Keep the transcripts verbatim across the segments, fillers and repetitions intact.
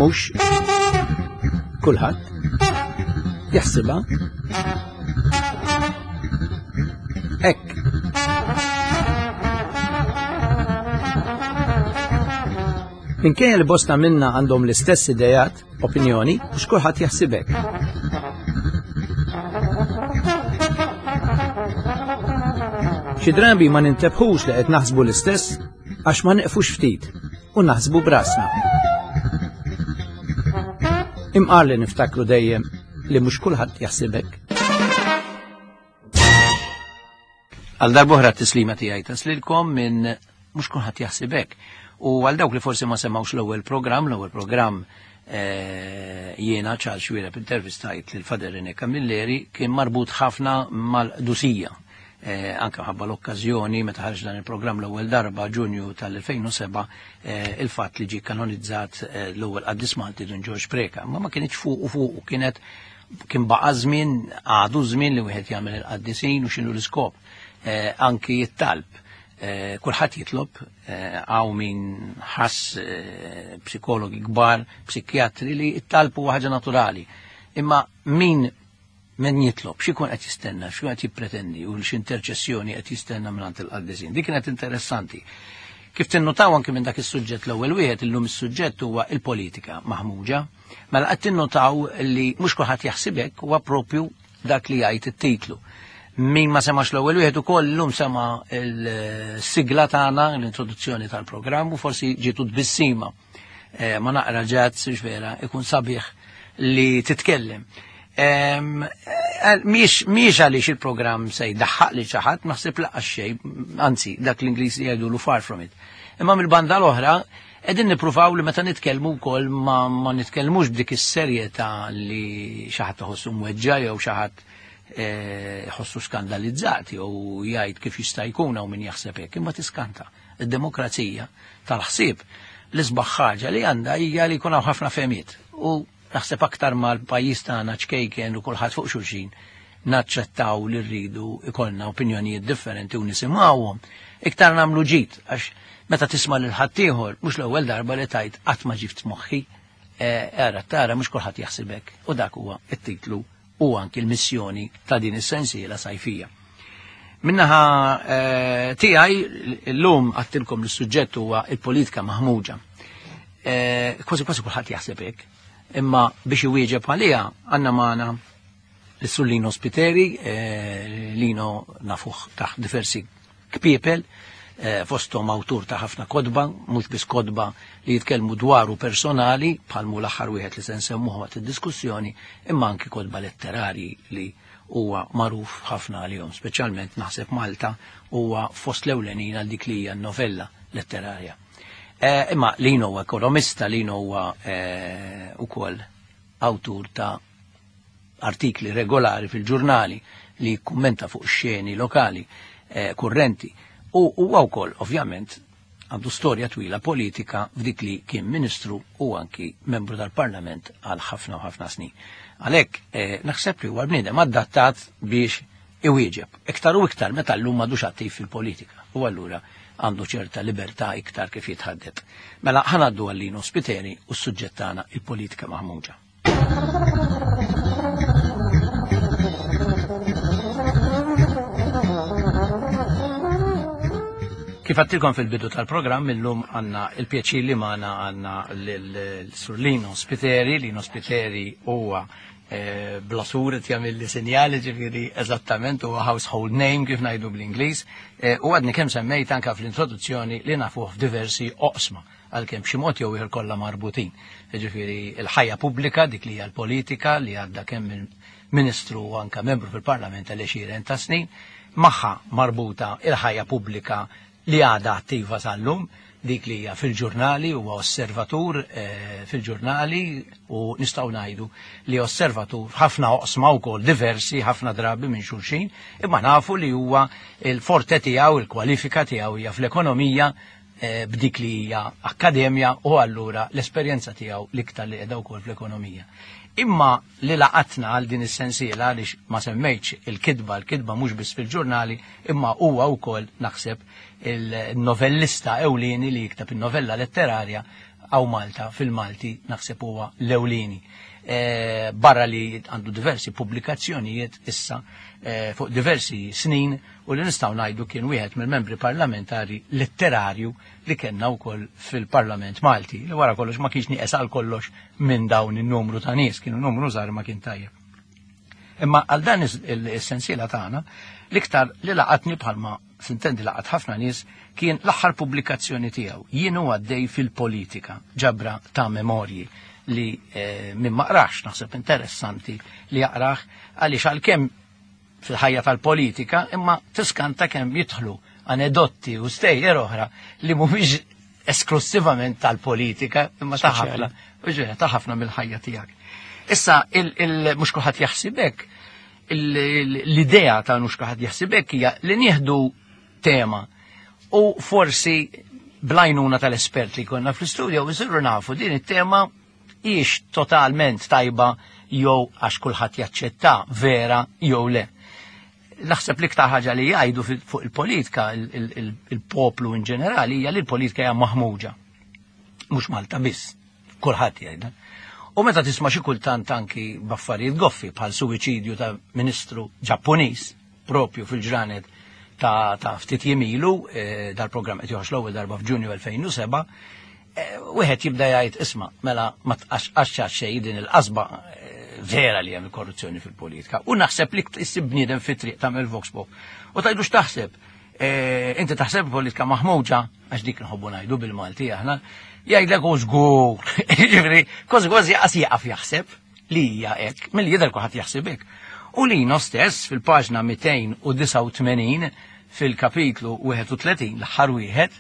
Mhux kulħadd jaħsibha hekk. Minkejja li bosta minna għandhom l-istess idejat, opinjoni, mhux kulħadd jaħsib hekk. Xi drabi ma nintebħux li qed naħsbu l-istess għax ma neqfux ftit u naħsbu brasna. Imqar li niftakru dejjem li mhux kulħadd jaħsib hekk. Għal darb'oħra t-tislima tiegħi taslilkom minn mhux kulħadd jaħsib hekk. U għal dawk li forsi ma semgħux l-ewwel programm, l-ewwel programm eh, jiena Charles Xuereb intervistajt lil Father René Camilleri kien marbut ħafna mal-qdusija. Eh, anke ħabba l-okkażjoni meta ħarġ dan il-programm l-ewwel darba Ġunju tal-elfejn u seba', eh, il-fatt li ġie kanonizzat, eh, l-ewwel qaddis Malti Dun Ġorġ Preca. Ma ma kienx fuq u fuq, u kienet kien baqa' żmien, għadu żmien li wieħed jagħmel il-qaddisin u x'inhu l-iskop. Eh, anki it-talb. Eh, kulħadd jitlob, eh, hawn min ħass, eh, psikologi kbar, psikjatri li t-talb huwa ħaġa naturali. Imma min min jitlob, x'ikun qed jistenna, x'ikun qed jippretendi u x'interċessjoni qed jistenna mingħand il-qaddisin. Dik kienet interessanti. Kif tinnutaw anke minn dak is-suġġett l-ewwel wieħed, illum is-suġġett huwa il-politika maħmuġa. Mela qed tinnutaw li mhux kulħadd jaħsib hekk, huwa propju dak li jgħid it-titlu. Min ma semax l-ewwel wieħed ukoll illum sema l-sigla tagħna, l-introduzzjoni tal-programm, u forsi ġietu tbissima. Eh, ma naqra ġazz, vera, ikun sabiħ li titkellem. Em, eh, miex, miex għaliex il-programm se jdaħħaq li xi ħadd, naħseb laqas xejn, anzi dak l-Ingliż li jgħidulu far from it. Imma mill-banda l-oħra qegħdin nippruvaw li meta nitkellmu wkoll ma, ma nitkellmux b'dik is-serjetà li xi ħadd iħossu mweġġa' jew xi ħadd, eh, ħossu skandalizzat jew jgħid kif jista' jkun hawn min jaħseb hekk, imma tiskanta. Id-demokrazija tal-ħsieb l-isbaħ ħaġa li għandha hija li jkun hawn ħafna fehmiet. U naħseb aktar mal-pajjiż tagħna ċkejken u kulħadd fuq xulxin naċċettaw li rridu ikollna opinjonijiet differenti u nisimgħuhom. Iktar nagħmlu ġid għax meta tisma' lil ħaddieħor mhux l-ewwel darba li tajt qatt ma ġift moħħi, eh, ara tara mhux kulħadd jaħseb hekk. U dak huwa t-titlu u anki l-missjoni ta' din is-sensiela sajfija. Minnaħa, eh, tiegħi llum għattilkom li s-suġġett huwa il-politika maħmuġa. Eh, kważi kważi kulħadd jaħseb hekk. Imma biex iwieġeb għaliha għandna magħna l-Sur Lino Spiteri, eh, Lino nafuh taħt diversi kpiepel, eh, fosthom awtur ta' ħafna kodba, mhux biss kodba li jitkellmu dwaru personali, bħalmu l-aħħar wieħed li se nsemmuh waqt id-diskussjoni, imma anki kodba letterarji li huwa magħruf ħafna għalihom, speċjalment naħseb Malta huwa fost l-ewlenin għal dik li hija novella letterarja. Eh, imma Lino huwa ekonomista, Lino huwa, eh, ukoll awtur ta' artikli regolari fil-ġurnali li jikkummenta fuq xeni lokali, eh, kurrenti. U huwa wkoll, ovvjament, għandu storja twila politika f'dik li kien ministru u anki membru tal-Parlament għal ħafna u ħafna snin. Għalhekk, eh, naħseb li huwa bniedem adattat biex iwieġeb. Iktar u iktar meta llum m'għadux attiv fil-politika. U allura għandu ċerta libertà iktar kif jitħaddet. Mela ħanaddu għal Lino Spiteri u s-suġġett tagħna il-politika maħmuġa. Kif għattilkom fil-bidu tal-programm, illum għanna il-pjaċir li magħna għanna l-Sur Lino Spiteri. Lino Spiteri huwa, eh, blasur qed jagħmel li sinjali, ġifieri eżattament huwa household name kif ngħidu bl-Ingliż. Eh, u għadni kemm semmejt anke fl-introduzzjoni li nafuh f'diversi oqsma, għalkemm b'xi mod jew ieħor kollha marbutin. Ġifieri l-ħajja pubblika, dik li hija l-politika li għadda kemm il-Ministru u anke membru fil-Parlament għal għexieren ta' snin, magħha marbuta il-ħajja pubblika li għadha attiva sal-lum, dik li hija fil-ġurnali, huwa osservatur, eh, fil-ġurnali u nistgħu ngħidu li osservatur ħafna oqsma wkoll diversi ħafna drabi minn xulxin, imma nafu li huwa il-forte tiegħu, il-kwalifika tiegħu hija fl-ekonomija, eh, b'dik li hija akkademja u allura l-esperjenza tiegħu l-iktar li qiegħda wkoll fl-ekonomija. Imma li laqatna għal din is-sensiela għaliex ma semmejtx il-kitba, il-kitba mhux biss fil-ġurnali, imma huwa wkoll naħseb il-novellista ewlieni li jikteb in-novella letterarja Hawn Malta fil-Malti naħseb huwa l-ewlieni. Eh, barra li għandu diversi pubblikazzjonijiet issa eh, fuq diversi snin u li nistgħu ngħidu kien wieħed mill-membri parlamentari letterarju li kellna wkoll fil-Parlament Malti, li wara kollox ma kienx nieqes għal kollox minn dawn in-numru ta' nies, kienu numru żgħar ma kien tajjeb. Imma għal dan is-sensiela tagħna, l-iktar li laqatni, bħalma sintendi laqat ħafna nies, kien l-aħħar pubblikazzjoni tiegħu, Jien u għaddej fil-politika, ġabra ta' memorji li eh, minn ma qrax naħseb interessanti li jaqrah, għaliex għalkemm fil-ħajja tal-politika imma tiskanta kemm jidħlu anedotti u stejjer oħra li mhumiex esklusivament tal-politika imma ta' ħafna, ta' ħafna mill-ħajja tiegħek. Issa, mhux kulħadd jaħsibek, l-idea ta' mhux kulħadd jaħsibek hija li nieħdu tema u forsi bl-għajnuna tal-espert li konna fl-istudio jsiru nafu din it-tema hijiex totalment tajba jew għax kulħadd jaċċetta vera jew le. Naħseb li iktar ħaġa li jgħidu fuq il-politika, il-poplu in ġenerali, hija li l-politika hija maħmuġa. Mhux Malta biss, kulħadd jgħidha. U meta tisma' xi kultant anki b'affarijiet goffi bħal suwiċidju ta' ministru Ġappuniż propju fil-ġranet ta', ta ftit jiem ilu, eh, dal-programm qed joħroġ l-ewwel darba f'Ġunju elfejn u seba', eh, wieħed jibda jgħid, isma', mela ma tqaxxax xejn din il-qasba eh, vera li hemm il-korruzzjoni fil-politika. U naħseb li issib bniedem fit-triq, tagħmel vox pop. U tgħidu x'taħseb? Inti taħseb politika maħmuġa, għax dik nħobbu ngħidu bil-Malti aħna, jgħidlek u żgur. Ġifieri, kważi kważi qas jaqaf jaħseb li hija hekk, milli jidher kulħadd jaħseb hekk. U Lino stess fil-paġna mitejn u disgħa u tmenin fil-kapitlu wieħed u tletin, l-aħħar wieħed,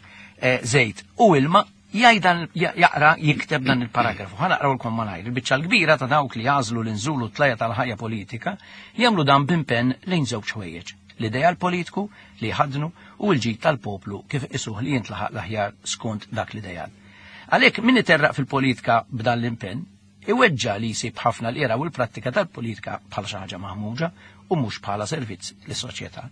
żejt u ilma, jgħidan jaqra jikteb dan il-paragrafu. Ħa naqrawlkom malajr. Il-biċċa l-kbira ta' dawk li jagħżlu l-inżulu tlajja tal-ħajja politika jagħmlu dan b'impenn lejn żewġ ħwejjeġ: l-ideal politiku li jħadnu u l-ġid tal-poplu kif isuh li jintlaħaq l-aħjar skont dak l-ideal. Għalhekk min iterraq fil-politika b'dan l-impenn iweġġa li jsib ħafna l-era u l-prattika tal-politika bħala xi ħaġa maħmuġa u mhux bħala servizz lis-soċjetà.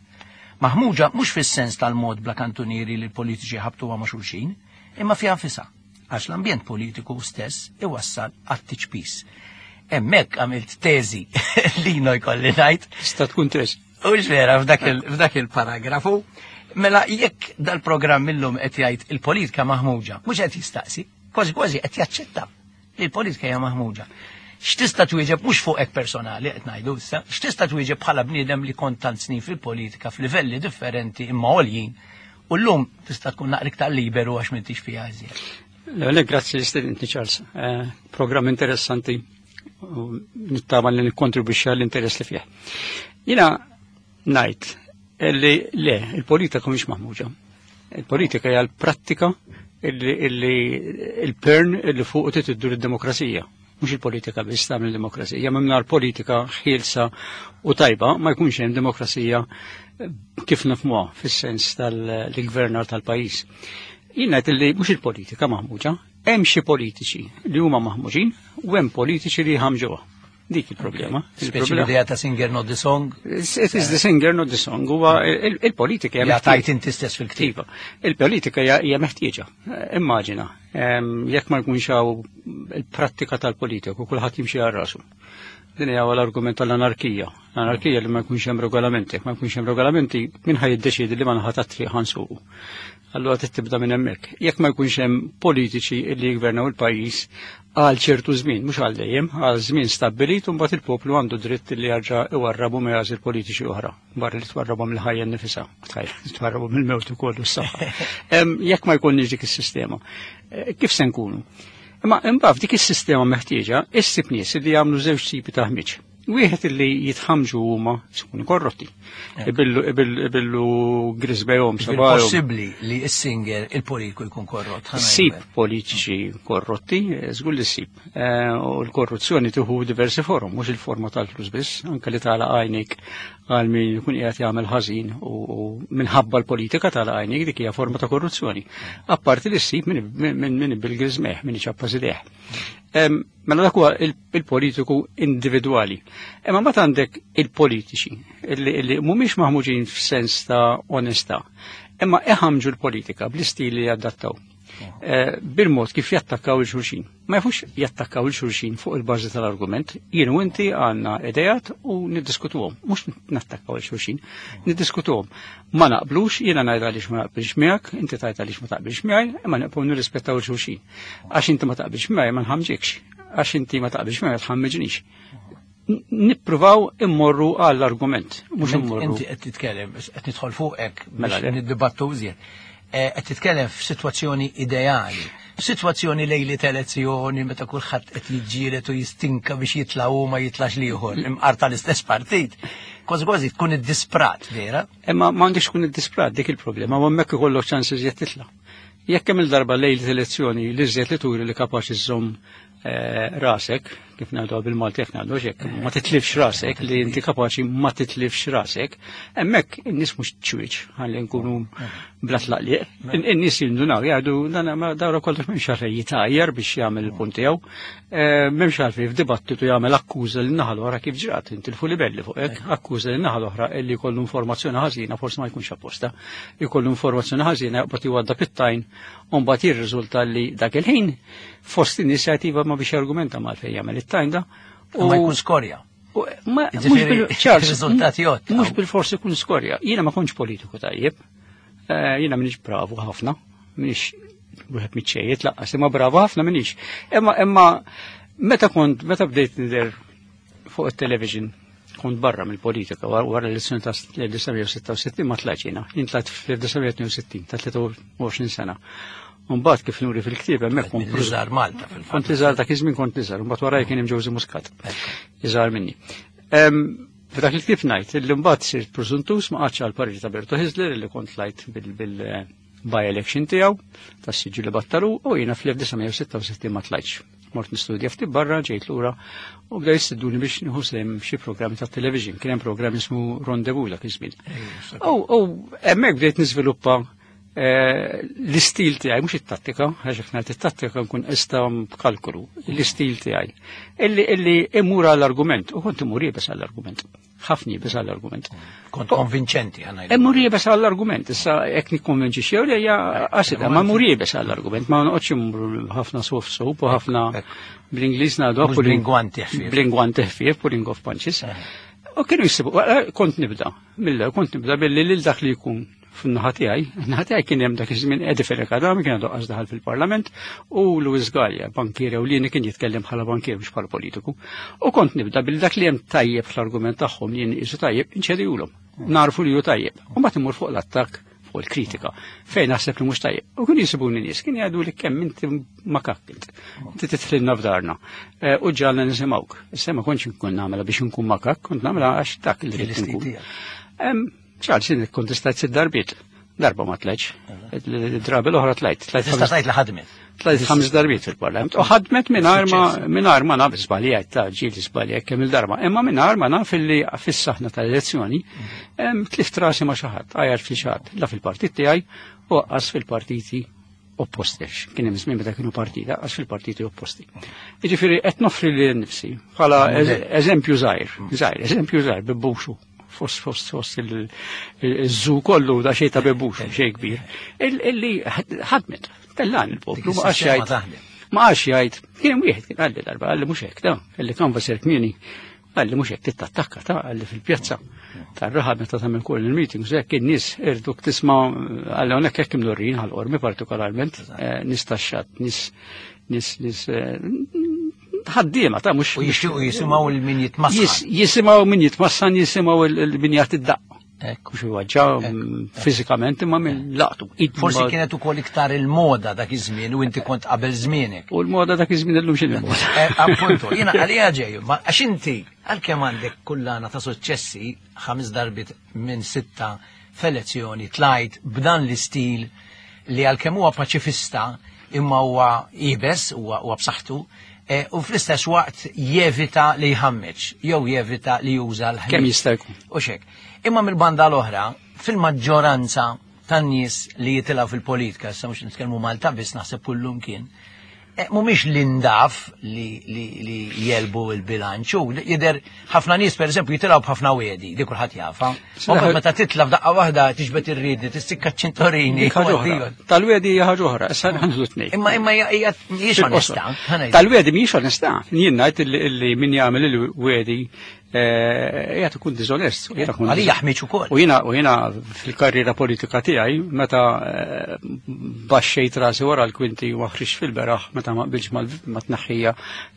Maħmuġa mhux fis-sens tal-mod bla kantunieri li l-politiċi ħabtu ma' xulxin, imma fiha nfisha, għax l-ambjent politiku stess iwassal għat-tiċpis. Hemmhekk għamilt teżi li no jkolli ngħid. Tista' tkun teżi. U vera f'dak il-paragrafu. Mela jekk dal-programm illum qed jgħid il-politika maħmuġa, mhux qed jistaqsi, kważi kważi qed jaċċetta li l-politika hija maħmuġa. X'tista' twieġeb, mhux fuqek personali qed ngħidu issa, x'tista' twieġeb bħala bniedem li kont tant snin fil-politika f'livelli differenti imma għoljin, u llum tista' tkun naqra iktar liberu għax m'intix fiha iżjed? Le, grazzi li stedintni, Charles. Eh, programm interessanti u nittama li nikkontribwixxi għall-interess li fih. Jiena ngħid li le, il-politika mhix maħmuġa. Il-politika hija l-prattika illi il-pern illi fuq titiddur id-demokrazija. Mhux il-politika biss tagħmel demokrazija, mingħajr politika ħielsa u tajba ma jkunx hemm demokrazija kif nifhmuha fis-sens tal-gvernar tal-pajjiż. Jien ngħid li mhux il-politika maħmuġa, hemm xi politiċi li huma maħmuġin u hemm politiċi li jħamġuha. Dik il-problema. Speċi l-idea ta' singer not the song. It is the singer not the song. Huwa il-politika hija tajt inti stess fil-ktiba. Iva. Il-politika hija meħtieġa. Immaġina, jekk ma jkunx hawn il-prattika tal-politiku, kulħadd jimxi għal rasu. Din hija l-argument tal-anarkija. L-anarkija li ma jkunx hemm regolamenti. Jekk ma jkunx hemm regolamenti, min ħa jiddeċiedi li ma naħa tat-triq ħa nsuqu? Allura tibda minn hemmhekk. Jekk ma jkunx hemm politiċi li jgvernaw il-pajjiż għal ċertu żmien, mhux għal dejjem, għal żmien stabbilit, u mbagħad il-poplu għandu dritt li jarġa' iwarrabu ma jagħżel politiċi oħra. Barra li twarrabu mill-ħajja nnifisha, twarrabu mill-mewt ukoll u s-saħħa. Jekk ma jkunniex dik is-sistema, eh, kif se nkunu? Imma imbagħad f'dik is-sistema meħtieġa issib nies li jagħmlu żewġ tipi ta' ħmiġ. Wieħed li jitħamġu huma ikunu korrotti. Ibillu ibillu grisbejhom sabajhom. Possibbli li s-singer il-politiku jkun korrott? Sib politiċi korrotti, żgur li ssib. Eh, u l-korruzzjoni tieħu diversi forom, mhux il-forma tal-flus biss, anke li tagħlaq għajnek għal min jkun qiegħed jagħmel ħażin u minħabba l-politika tagħlaq għajnek, dik hija forma ta' korruzzjoni. Apparti li ssib minn min bil-griżmejh, min iċappas idejh. Mela dak huwa il-politiku individwali. Imma mbagħad għandek il-politiċi illi mhumiex maħmuġin f'sens ta' onestà, imma iħamġu l-politika bl-istili li adattaw. Bil-mod kif jattakkaw il-xulxin. Ma jafux jattakkaw il-xulxin fuq il-bażi tal-argument. Jien u inti għandna idejat u niddiskutuhom. Mhux nattakkaw il-xulxin, niddiskutuhom. Ma naqblux, jiena ngħid għaliex ma naqbilx miegħek, inti tgħid għaliex ma taqbilx miegħi, imma nibqgħu nirrispettaw il-xulxin. Għax inti ma taqbilx miegħi ma nħamġikx, għax inti ma taqbilx miegħi ma tħammiġnix. Nippruvaw immorru għall-argument, mhux immorru. Inti qed titkellem, qed nidħol fuqek biex niddibattu iżjed. Qed titkellem f'sitwazzjoni ideali, f'sitwazzjoni lejli elezzjoni meta kulħadd qed jiġġieled u jistinka biex jitla' hu ma jitlax l-ieħor, imqar tal-istess partit. Kważi kważi tkun iddisprat, vera? Imma m'għandix tkun iddisprat dik il-problema, ma hemmhekk ikollok ċans iżjed titla'. Jekk hemm il-darba lejli elezzjoni li iżjed li turi li kapaċi żżomm rasek, kif ngħidu bil-Malti jekk ngħidu hekk, ma titlifx rasek, li inti kapaċi ma titlifx rasek, hemmhekk in-nies mhux ċwieċ ħalli nkunu bla tlaqliq. In-nies jindunaw jgħidu dan dawra kollox m'hemmx għalfejn jitajjer biex jagħmel il-punt tiegħu, m'hemmx għalfejn f'dibattitu jagħmel akkuża lin naħa l-oħra kif ġrat, intilfu libelli fuq hekk, akkuża lin naħa l-oħra illi jkollu informazzjoni ħażina forsi ma jkunx apposta, jkollu informazzjoni ħażina jaqbad jwadda pittajn u mbagħad jirriżulta li dak il-ħin fost in-nies jgħid ma biex argumenta mal fejn jagħmel it-tajn da. U ma jkun skorja. Mhux bil-forsi jkun skorja. Jiena ma kontx politiku tajjeb. Jiena m'iniex bravu ħafna, m'iniex wieħed miċċejjed laqqas, imma bravu ħafna m'iniex. Imma imma meta kont meta bdejt nidher fuq it-television kont barra mill-politika wara l-elezzjoni ta' elf disa' mija u sitta u sittin ma tlajtx jiena. Jien tlajt fl-elf disa' mija u tnejn u sittin ta' tlieta u għoxrin sena. Mbagħad kif nuri fil-ktieb hemmhekk kont iżgħar Malta fil-fatt. Kont iżgħar dak iż-żmien kont iżgħar, mbagħad waraj kien hemm Ġewżi Muscat. Iżgħar minni. F'dak il-ktieb ngħid illi mbagħad sirt preżuntus ma qgħadx għal pariri ta' Berto Hyzler illi kont tlajt bil-by-election tiegħu tas-siġġu li battalu u jiena fl-elf disa' mija u sitta u sittin ma tlajtx. Mort nistudja ftit barra, ġejt lura u bdew jistiduni biex nieħu sehem xi programmi tat-television. Kien hemm programm ismu Rendezvous dak iż-żmien. U hemmhekk bdejt niżviluppa l-istil tiegħi, mhux it-tattika, għax jekk ngħid it-tattika nkun qista b'kalkolu, l-istil tiegħi. Illi illi imur għall-argument, u kont imur iebes għall-argument. Ħafna iebes għall-argument. Kont konvinċenti ħa ngħidu. Imur iebes għall-argument, issa jekk nikkonvinċi xi jew hija qasida, ma mmur iebes għall-argument, ma noqgħodx immur ħafna soft soap u ħafna bl-Ingliż ngħidu bl-ingwanti ħfief. Bl-ingwanti ħfief, pulling off punches. U kienu jsibu, kont nibda, mill-ewwel kont nibda billi lil dak li jkun fin-naħa tiegħi, in-naħa tiegħi kien hemm dak iż-żmien Eddie Fenech Adami kien għadu qas daħal fil-Parlament u Louis Galea, bankier ewlieni kien jitkellem bħala bankier mhux bħala politiku. U kont nibda billi dak li hemm tajjeb fl-argument tagħhom li jien qisu tajjeb inċedihulhom. Narfu li hu tajjeb. U mbagħad immur fuq l-attakk fuq il-kritika fejn naħseb li mhux tajjeb. U kienu jisibuni nies, kien jgħidu li kemm inti makak int. Inti titħlilna f'darna. U ġalna nisimgħuk. Issa ma kontx nkun nagħmilha biex nkun makak, kont nagħmilha għax dak li rrid nkun. Charles, jien ikkontestajt sitt darbiet. Darba ma tlajtx. Id-drabi l-oħra tlajt. Tista' tgħid li ħadmet. Tlajt ħames darbiet fil-Parlament. U ħadmet mingħajr ma mingħajr ma naf żbaljajt ta' ġieli żbaljajt kemm il-darba. Imma mingħajr ma naf illi fis-saħna tal-elezzjoni tlift rasi ma' xi ħadd, għajjar fi xi ħadd, la fil-partit tiegħi u qas fil-partiti opposti. Kien hemm żmien meta kienu partita, qas fil-partiti opposti. Jiġifieri qed noffri lil nifsi bħala eżempju żgħir, żgħir, eżempju żgħir bibbuxu. Fost, fost, fost il-żu kollu da xejn ta' bebux, xejn kbir. Illi ħadmet, tellan il-poplu, ma għax jgħid. Ma għax jgħid, kien hemm wieħed kien qalli darba, qalli mhux hekk da, illi kan vaser kmieni, qalli mhux hekk tittattakka ta' qalli fil-pjazza tar-raħal meta tagħmel kull il-meetings, hekk in-nies irduk tisma' qalli hawnhekk hekk imdorrin ħal-qormi partikolarment, nies tax-xatt, nies, nies, nies ħaddiema ta' mhux U jixtiequ jisimgħu il min jitmassan. Jisimgħu min jitmassan, jisimgħu il min jagħti d-daqq. Mhux iwaġġa fiżikament imma minn laqtu. Forsi kienet ukoll iktar il-moda dak iż-żmien u inti kont qabel żmienek. U l-moda dak iż-żmien illum x'inhi l-moda. Appuntu, jiena għalija ġej, ma għax inti għalkemm għandek kullana ta' suċċessi ħames darbiet minn sitta f'elezzjoni tlajt b'dan l-istil li għalkemm huwa paċifista imma huwa iebes, huwa b'saħħtu, u fl-istess waqt jevita li jħammeġ, jew jevita li juża l-ħmieġ. Kemm jista' jkun. U xek. Imma mill-banda l-oħra, fil-maġġoranza tan-nies li jitilgħu fil-politika, issa mhux nitkellmu Malta biss naħseb kullum kien, Mhumiex l-indaf li, li, li jelbu il-bilanċ. U jidher ħafna nies pereżempju jitilgħu b'ħafna wiedi, di kulħadd jafha. U meta titla' f'daqqa waħda tiġbed ir-riedni, tistikka ċ-ċintorini. Tal-wiedi hija ħaġa oħra, issa ħanżlu tnejn. Imma imma hija mhijiex onestà. Tal-wiedi mhijiex onestà. Jien ngħid illi min jagħmel il-wiedi qiegħed ikun diżonest. Għalija ħmiġ ukoll. U jiena u jiena fil-karriera politika tiegħi meta baxxejt rasi wara l-kwinti u ħriġt fil-beraħ meta ma qbilx ma tneħħija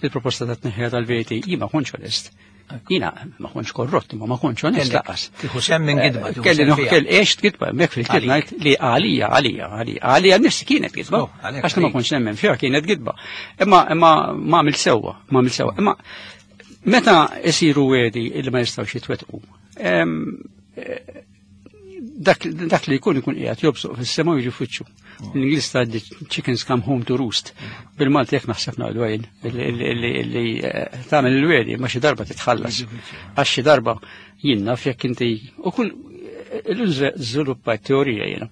il-proposta ta' tneħħija tal-V A T, jien ma kontx onest. Jiena ma kontx korrott, imma ma kontx onest laqas. Tieħu sehem minn gidba. Kelli noħkel għext gidba, hemmhekk fil-ktieb ngħid li għalija, għalija, għalija, għalija nifsi kienet gidba. Għax ma kontx nemmen fiha kienet gidba. Imma imma ma għamilt sewwa, ma għamilt sewwa. Imma meta isiru wedi illi ma jistgħux jitwettqu, dak, dak li jkun ikun qiegħed jobsoq fis-sema u jiġi f'wiċċu. L-Ingliż tgħaddi chickens come home to roost. Bil-Malti jekk naħseb ngħidu għajn illi tagħmel il-wedi ma xi darba titħallas. Għax xi darba jien naf jekk inti u kull l-żviluppajt teorija jiena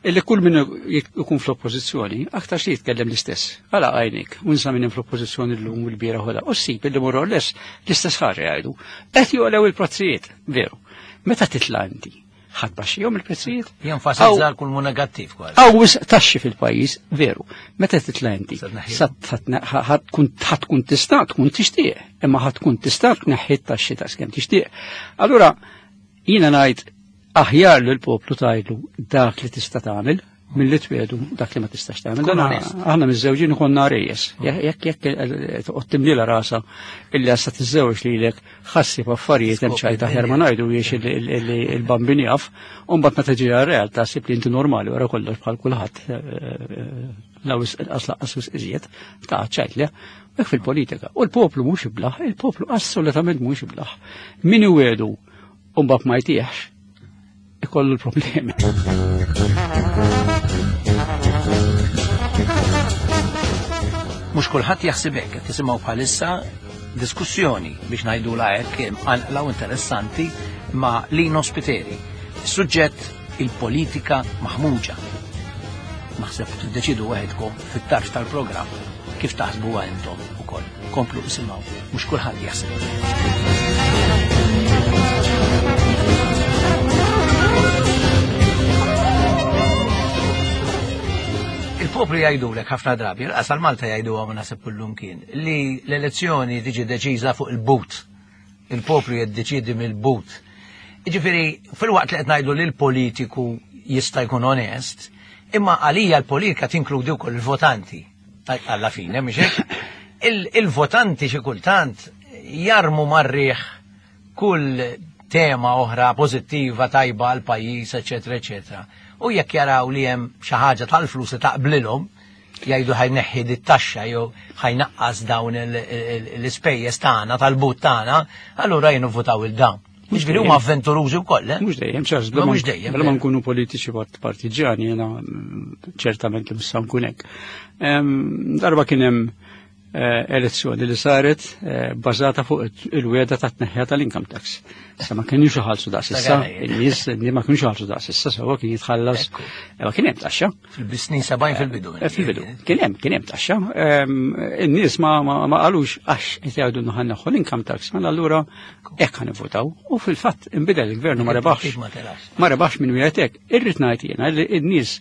illi kull min ikun fl-oppożizzjoni aktar xi jitkellem l-istess. Għala għajnik, unsa minn fl-oppożizzjoni llum u l-bieraħ u ssib illi more or less l-istess ħaġa jgħidu. Qed joqgħu il-prezzijiet, veru. Meta titla' inti, ħadd baxxihom il-prezzijiet? Jenfasizza kull mu negattiv kważi. Hawn wisq taxxi fil-pajjiż, veru. Meta titla' inti, ħadd tkun tista' tkun tixtieq, imma ħadd tkun tista' tneħħi t-taxxi ta' skemm tixtieq. Allura jiena ngħid aħjar li l-poplu tajlu dak li tista' tagħmel milli twiedu dak li ma tistax tagħmel. Dan aħna miż-żewġin konna rejjes. Jekk jekk toqgħod timlilha rasha illi għassa tiżżewġ lilek ħassib affarijiet hemm ċajt aħjar ma ngħidu jiex illi l-bambin jaf, u mbagħad meta tiġi għar-realtà ssib li inti normali wara kollox bħal kulħadd law inqas laqqas wisq iżjed ta' ċajt le. Hekk fil-politika. U l-poplu mhux iblaħ, il-poplu assolutament mhux iblaħ. Min iwedu u mbagħad ma jtieħx ikollu l-problemi. Mhux kulħadd jaħseb hekk, qed tisimgħu bħalissa diskussjoni biex ngħidulha hekk imqanqla u interessanti ma' Lino Spiteri. Suġġett il-politika maħmuġa. Naħseb tiddeċidu waħedkom fit-tarf tal-programm kif taħsbuha intom ukoll. Komplu isimgħu, mhux kulħadd jaħseb. Il-poplu jgħidulek ħafna drabi, l-qasal Malta jgħiduha ma naħseb kullum kien, li l-elezzjoni tiġi deċiża fuq il-but. Il-poplu jiddeċiedi mill-but. Jiġifieri, fil-waqt li qed ngħidu li l-politiku jista' jkun onest, imma għalija l-politika tinkludi wkoll il-votanti. Alla fine, mhix hekk? Il-votanti xi kultant jarmu marriħ kull tema oħra pożittiva tajba għal pajjiż, eċetera, eċetera. U jekk jaraw li hemm xi ħaġa tal-flus li taqblilhom, jgħidu ħajneħħi dit-taxxa jew ħajnaqqas dawn l-ispejjeż tagħna tal-but tagħna, allura jien votaw il dawn. Jiġifieri huma avventurużi wkoll, eh? Mhux dejjem, Charles, mhux dejjem. Bla ma nkunu politiċi partiġjani, jiena ċertament li mhux nkun hekk. Darba kien hemm elezzjoni li saret bbażata fuq il-wieda ta' tneħħija tal-income tax. Sa ma kienux iħallsu daqs issa, in-nies ma kienux iħallsu daqs issa, sewwa kien jitħallas, ma kien hemm taxxa. Fil-snin sebgħin fil-bidu. Fil-bidu. Kien hemm, kien hemm taxxa. In-nies ma ma qalux għax qed jgħidu ħa neħħu l-income tax, mela allura hekk ħa nivvutaw. U fil-fatt inbidel il-gvern ma rebaħx. Ma rebaħx minn wieħed hekk. Irrid ngħid jiena li n-nies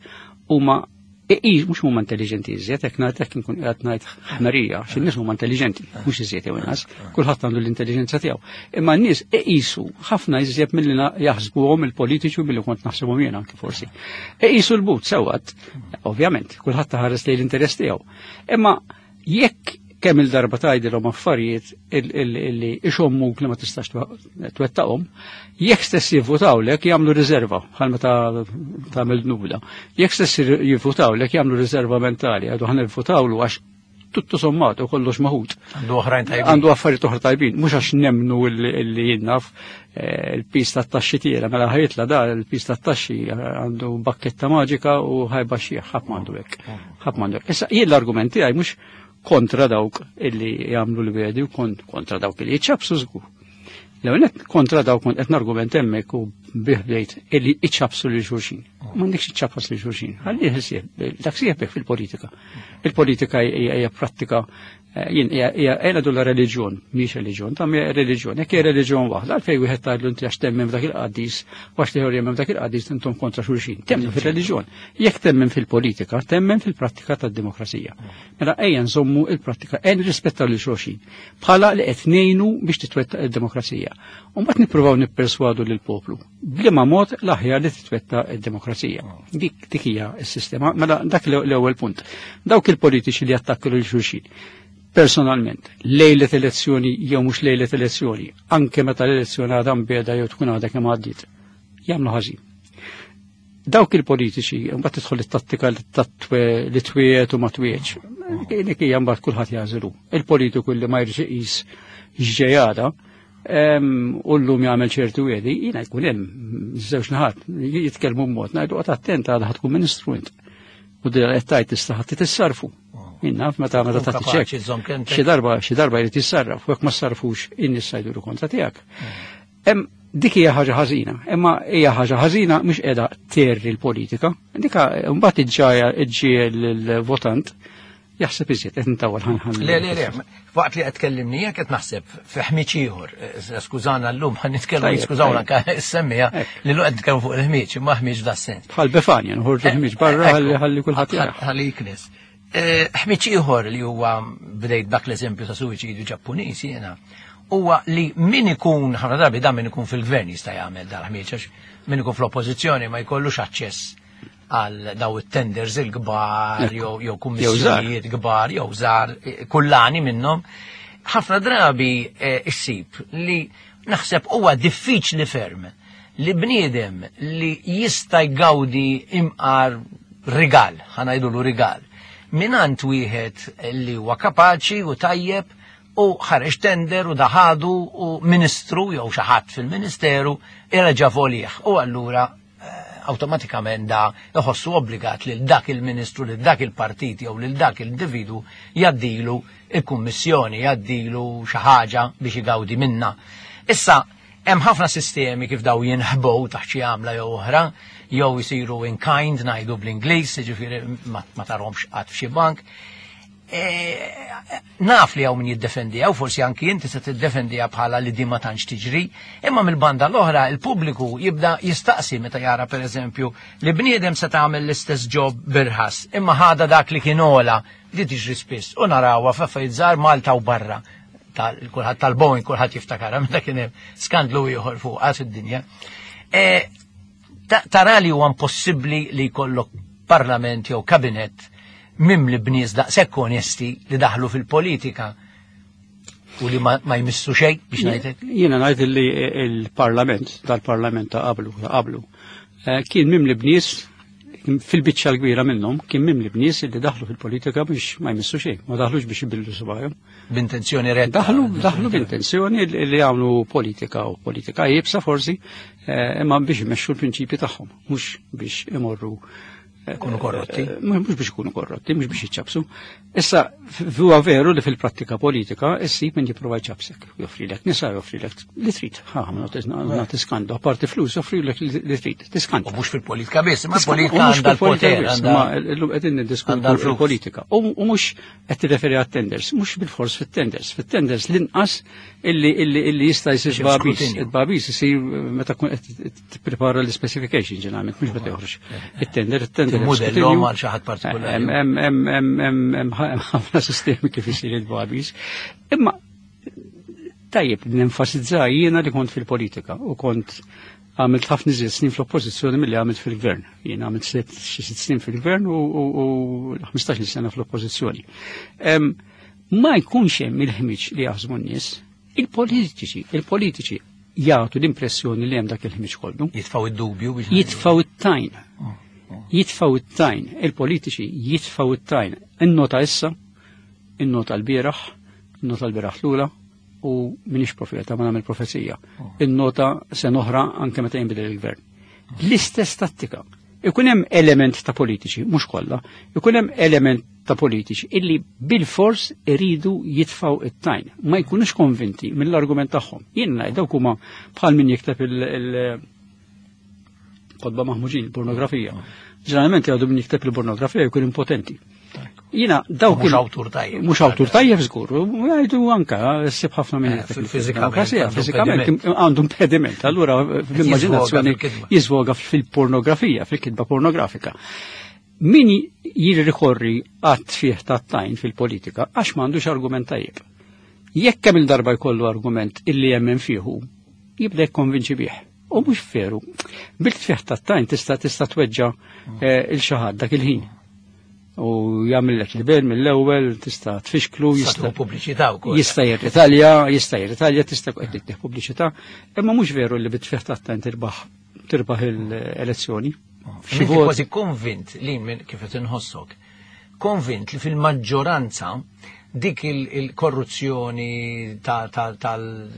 huma Iqis mhux huma intelligenti iżjed, hekk ngħid hekk inkun qiegħed ngħid ħmerija, għax in-nies huma intelligenti, mhux iżjed jew inqas, kulħadd għandu l-intelligenza tiegħu. Imma n-nies iqisu ħafna iżjed milli jaħsbuhom il-politiċi u milli kont naħsibhom jiena anke forsi. Iqisu l-but sewwat, ovvjament, kulħadd taħares lejn l-interess tiegħu. Imma jekk kemm il-darba tgħidilhom affarijiet illi ixommuk li ma tistax twettaqhom, jekk stess jivvutawlek jagħmlu riserva bħal meta tagħmel dnubla. Jekk stess jivvutawlek jagħmlu riserva mentali, għadu ħa nivvutawlu għax tuttu sommat u kollox maħut. Għandu oħrajn tajbin. Għandu affarijiet oħra tajbin, mhux għax nemnu illi jinnaf il-pis tat-taxxi tiela, mela ħajtla da il-pis tat-taxxi għandu bakketta maġika u ħajbaxxih, ħadd m'għandu hekk. Ħadd m'għandu hekk. Issa jien l-argument tiegħi mhux kontra dawk illi jagħmlu l-bedi u kontra dawk illi jiċċabsu żgur. L-ewwel kontra dawk kont qed nargument hemmhekk u bih bdejt illi iċċabsu lil xulxin. M'għandekx iċċabas lil xulxin. Ħalli ħsieb, dak sieħbek fil-politika. Il-politika hija prattika jien hija ngħidu la reliġjon, mhix reliġjon, ta' hija reliġjon. Jekk hija reliġjon waħda, għalfejn wieħed tgħidlu inti għax temmen f'dak il-qaddis u għax l-ieħor jemmen f'dak il-qaddis intom kontra xulxin. Temmen fir-reliġjon. Jekk temmen fil-politika, temmen fil-prattika tad-demokrazija. Mela ejja nżommu il-prattika, ejja nirrispettaw lil xulxin. Bħala li qed ngħinu biex titwettaq id-demokrazija. U mbagħad nippruvaw nipperswadu lill-poplu. B'liema mod l-aħjar li titwettaq id-demokrazija. Dik dik hija s-sistema. Mela dak l-ewwel punt. Dawk il-politiċi li attakku lil xulxin. Personalment, lejlet elezzjoni jew mhux lejlet elezzjoni, anke meta l-elezzjoni għadha mbiegħda jew tkun għadha kemm għaddiet, jagħmlu ħażin. Dawk il-politiċi, mbagħad tidħol it-tattika li twiet u ma twietx. Dik hija mbagħad kulħadd jażlu. Il-politiku li ma jridx iqis x'ġejada u llum jagħmel ċertu wiedi, jiena jkun hemm żewġ naħat jitkellmu b'mod ngħidu qgħod attent għadha tkun ministru int. U din qed tgħid tista' ħadd tissarfu. Jien naf meta meta tagħti ċekk. Xi darba xi darba jrid jissarraf, u jekk ma ssarfux in-nies jgħidulu kontra tiegħek. Hemm dik hija ħaġa ħażina, imma hija ħaġa ħażina mhux qiegħda terri l-politika. Dika mbagħad iġġaja iġġiel il-votant jaħseb iżjed qed ntawwal ħan. Le le le, waqt li qed tkellimni jekk qed naħseb fi ħmiġ ieħor, skużana llum ħan nitkellmu, skużawna anke semmija li llum qed nitkellmu fuq il-ħmiġ, imma ħmiġ da sens. Bħal Befanja, nħorġu ħmiġ barra ħalli ħalli kulħadd jara. Ħalli jiknes. Ħmiġ ieħor li huwa bdejt dak l-eżempju ta' suwiċidju Ġappuniż jiena, huwa li min ikun ħafna drabi dan min ikun fil-gvern jista' jagħmel dal-ħmiġ għax min ikun fl-oppożizzjoni ma jkollux aċċess għal daw it-tenders il-kbar jew kummissjonijiet kbar jew żgħar kullani minnhom. Ħafna drabi issib li naħseb huwa diffiċli ferm li bniedem li jista' jgawdi imqar rigal, ħanajdulu rigal, minant wieħed li huwa kapaċi u tajjeb u ħareġ tender u daħadu u ministru jew xi ħadd fil-ministeru irreġa' volih u allura awtomatikament da iħossu obbligat lil dak il-ministru, lil dak il-partit jew lil dak il-individu jaddilu il-kummissjoni, jaddilu xi ħaġa biex igawdi minna. Issa hemm ħafna sistemi kif daw jinħbow taħt xi għamla jew oħra, jew isiru in kind ngħidu bl-Ingliż, jiġifieri ma tarhomx qatt f'xi bank. Naf li hawn min jiddefendiha, u forsi anki inti se tiddefendiha bħala li din ma tantx tiġri, imma mill-banda l-oħra il-pubbliku jibda jistaqsi meta jara pereżempju li bniedem se tagħmel l-istess job birħas, imma ħada dak li kien ola li tiġri spiss u narawha f'affarijiet żgħar Malta u barra. Kulħadd tal-Boeing kulħadd jiftakarha meta kien hemm skandlu ieħor fuqha fid-dinja. Tara li huwa impossibbli li jkollok parlament jew kabinett mimli bnies daqshekk onesti li daħlu fil-politika u li ma jmissu xejn biex ngħidlek. Jiena ngħid li l-parlament, dal-parlament ta' qablu, ta' qablu, kien mimli bnies fil-biċċa l-kbira minnhom kien mimli bnies li daħlu fil-politika biex ma jmissu xejn, ma daħlux biex ibillu subajhom. B'intenzjoni retta. Daħlu, daħlu b'intenzjoni li jagħmlu politika u politika iebsa forsi, imma biex imexxu l-prinċipji tagħhom, mhux biex imorru Kunu korrotti. Mhux biex ikunu korrotti, mhux biex jiċċabsu. Issa, huwa veru li fil-prattika politika issib min jipprova jċabsek. Joffrilek nisa, joffrilek li trid. Ha, nagħti skandu, apparti flus, joffrilek li trid, tiskanta. U mhux fil-politika biss, imma l-politika għandha l-poter. Ma llum qegħdin niddiskutu l-politika. U mhux qed tirreferi għat-tenders, mhux bil-fors fit-tenders. Fit-tenders l-inqas illi illi jista' jsir babis. Il-babis isir meta tkun qed tipprepara l-specification ġeneralment, mhux meta joħroġ. It-tender, it-tender Modellhom għal xi ħadd partikolari. Hemm ħafna sistemi kif isir il-babis. Imma tajjeb nenfasizza jiena li kont fil-politika u kont għamilt ħafna iżjed snin fl-oppożizzjoni milli għamilt fil-gvern. Jien għamilt xi sitt snin fil-gvern u ħmistax-il sena fl-oppożizzjoni. Ma jkunx hemm il-ħmiġ li jaħsbu n-nies, il-politiċi, il-politiċi jagħtu l-impressjoni li hemm dak il-ħmiġ kollu. Jitfgħu id-dubju biex jitfgħu it-tajn. Jitfaw it-tajn, il-politiċi jitfaw it-tajn. Innota issa, innota l-bieraħ, innota l-bieraħ l-ula, u minix profeta, ma nagħmel profezija. Innota sena oħra anke meta jinbidel il-gvern. L-istess tattika. Ikun hemm element ta' politiċi, mhux kollha, ikun hemm element ta' politiċi illi bil-fors iridu jitfaw it-tajn. Ma jkunux konvinti mill-argument tagħhom. Jien ngħid dawk huma bħal min jikteb il- Kotba maħmuġin, pornografija. Ġeneralment jgħidu min jikteb il-pornografija jkun impotenti. Jiena dawk Mhux awtur tajjeb. Mhux awtur tajjeb żgur, u jgħidu anka ssib ħafna minn Eh, jikteb fiżikament il-pornografija, għandu fiżikament impediment. għandu impediment. Allura fl-immaġinazzjoni fil-kitba. jiżvoga fil-pornografija, fil-kitba pornografika. Min jirrikorri għat-tfih tat-tajn fil-politika għax m'għandux argument tajjeb. Jekk kemm il-darba jkollu argument illi jemmen fihu, jibda jikkonvinċi bih. U mhux veru. Bil-tfih tat-tajn tista' tista' tweġġa' eh, il xi ħadd dak il-ħin. U jagħmellek libel mill-ewwel, tista' tfixklu, Jista' jista' pubbliċità wkoll. jista' jirritalja, jista' jirritalja, tista' qed tittieħ pubbliċità, imma mhux veru li bit-tfih tat-tajn tirbaħ tirbaħ il-elezzjoni. Xi Inti vot- kważi konvint li minn kif qed inħossok, konvint li fil-maġġoranza dik il- il-korruzzjoni ta- ta- tal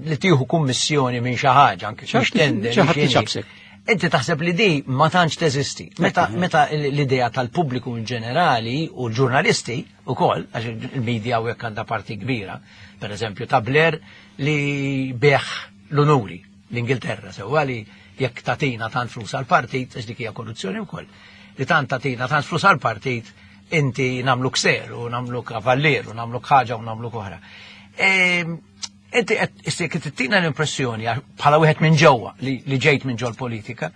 li tieħu kummissjoni minn xi ħaġa anke Xi ħadd- xi tender, xi ħadd xi iċabsek. Inti taħseb li di ma tantx teżisti. Meta meta l-idea tal-pubbliku in ġenerali u l-ġurnalisti ukoll, għax il-medja u hekk għandha parti kbira, per eżempju ta' Blair li beħ l-onuri l-Ingilterra, sewwa li jekk tatina tant flus għal-partit, għax dik hija korruzzjoni wkoll, li tant tatina tant flus għal-partit, inti namlu kser u namlu kavallier u namlu ħaġa u namlu oħra. Ehm, Inti qed issek tittina l-impressjoni għax bħala wieħed minn ġewwa li li ġejt minn ġol politika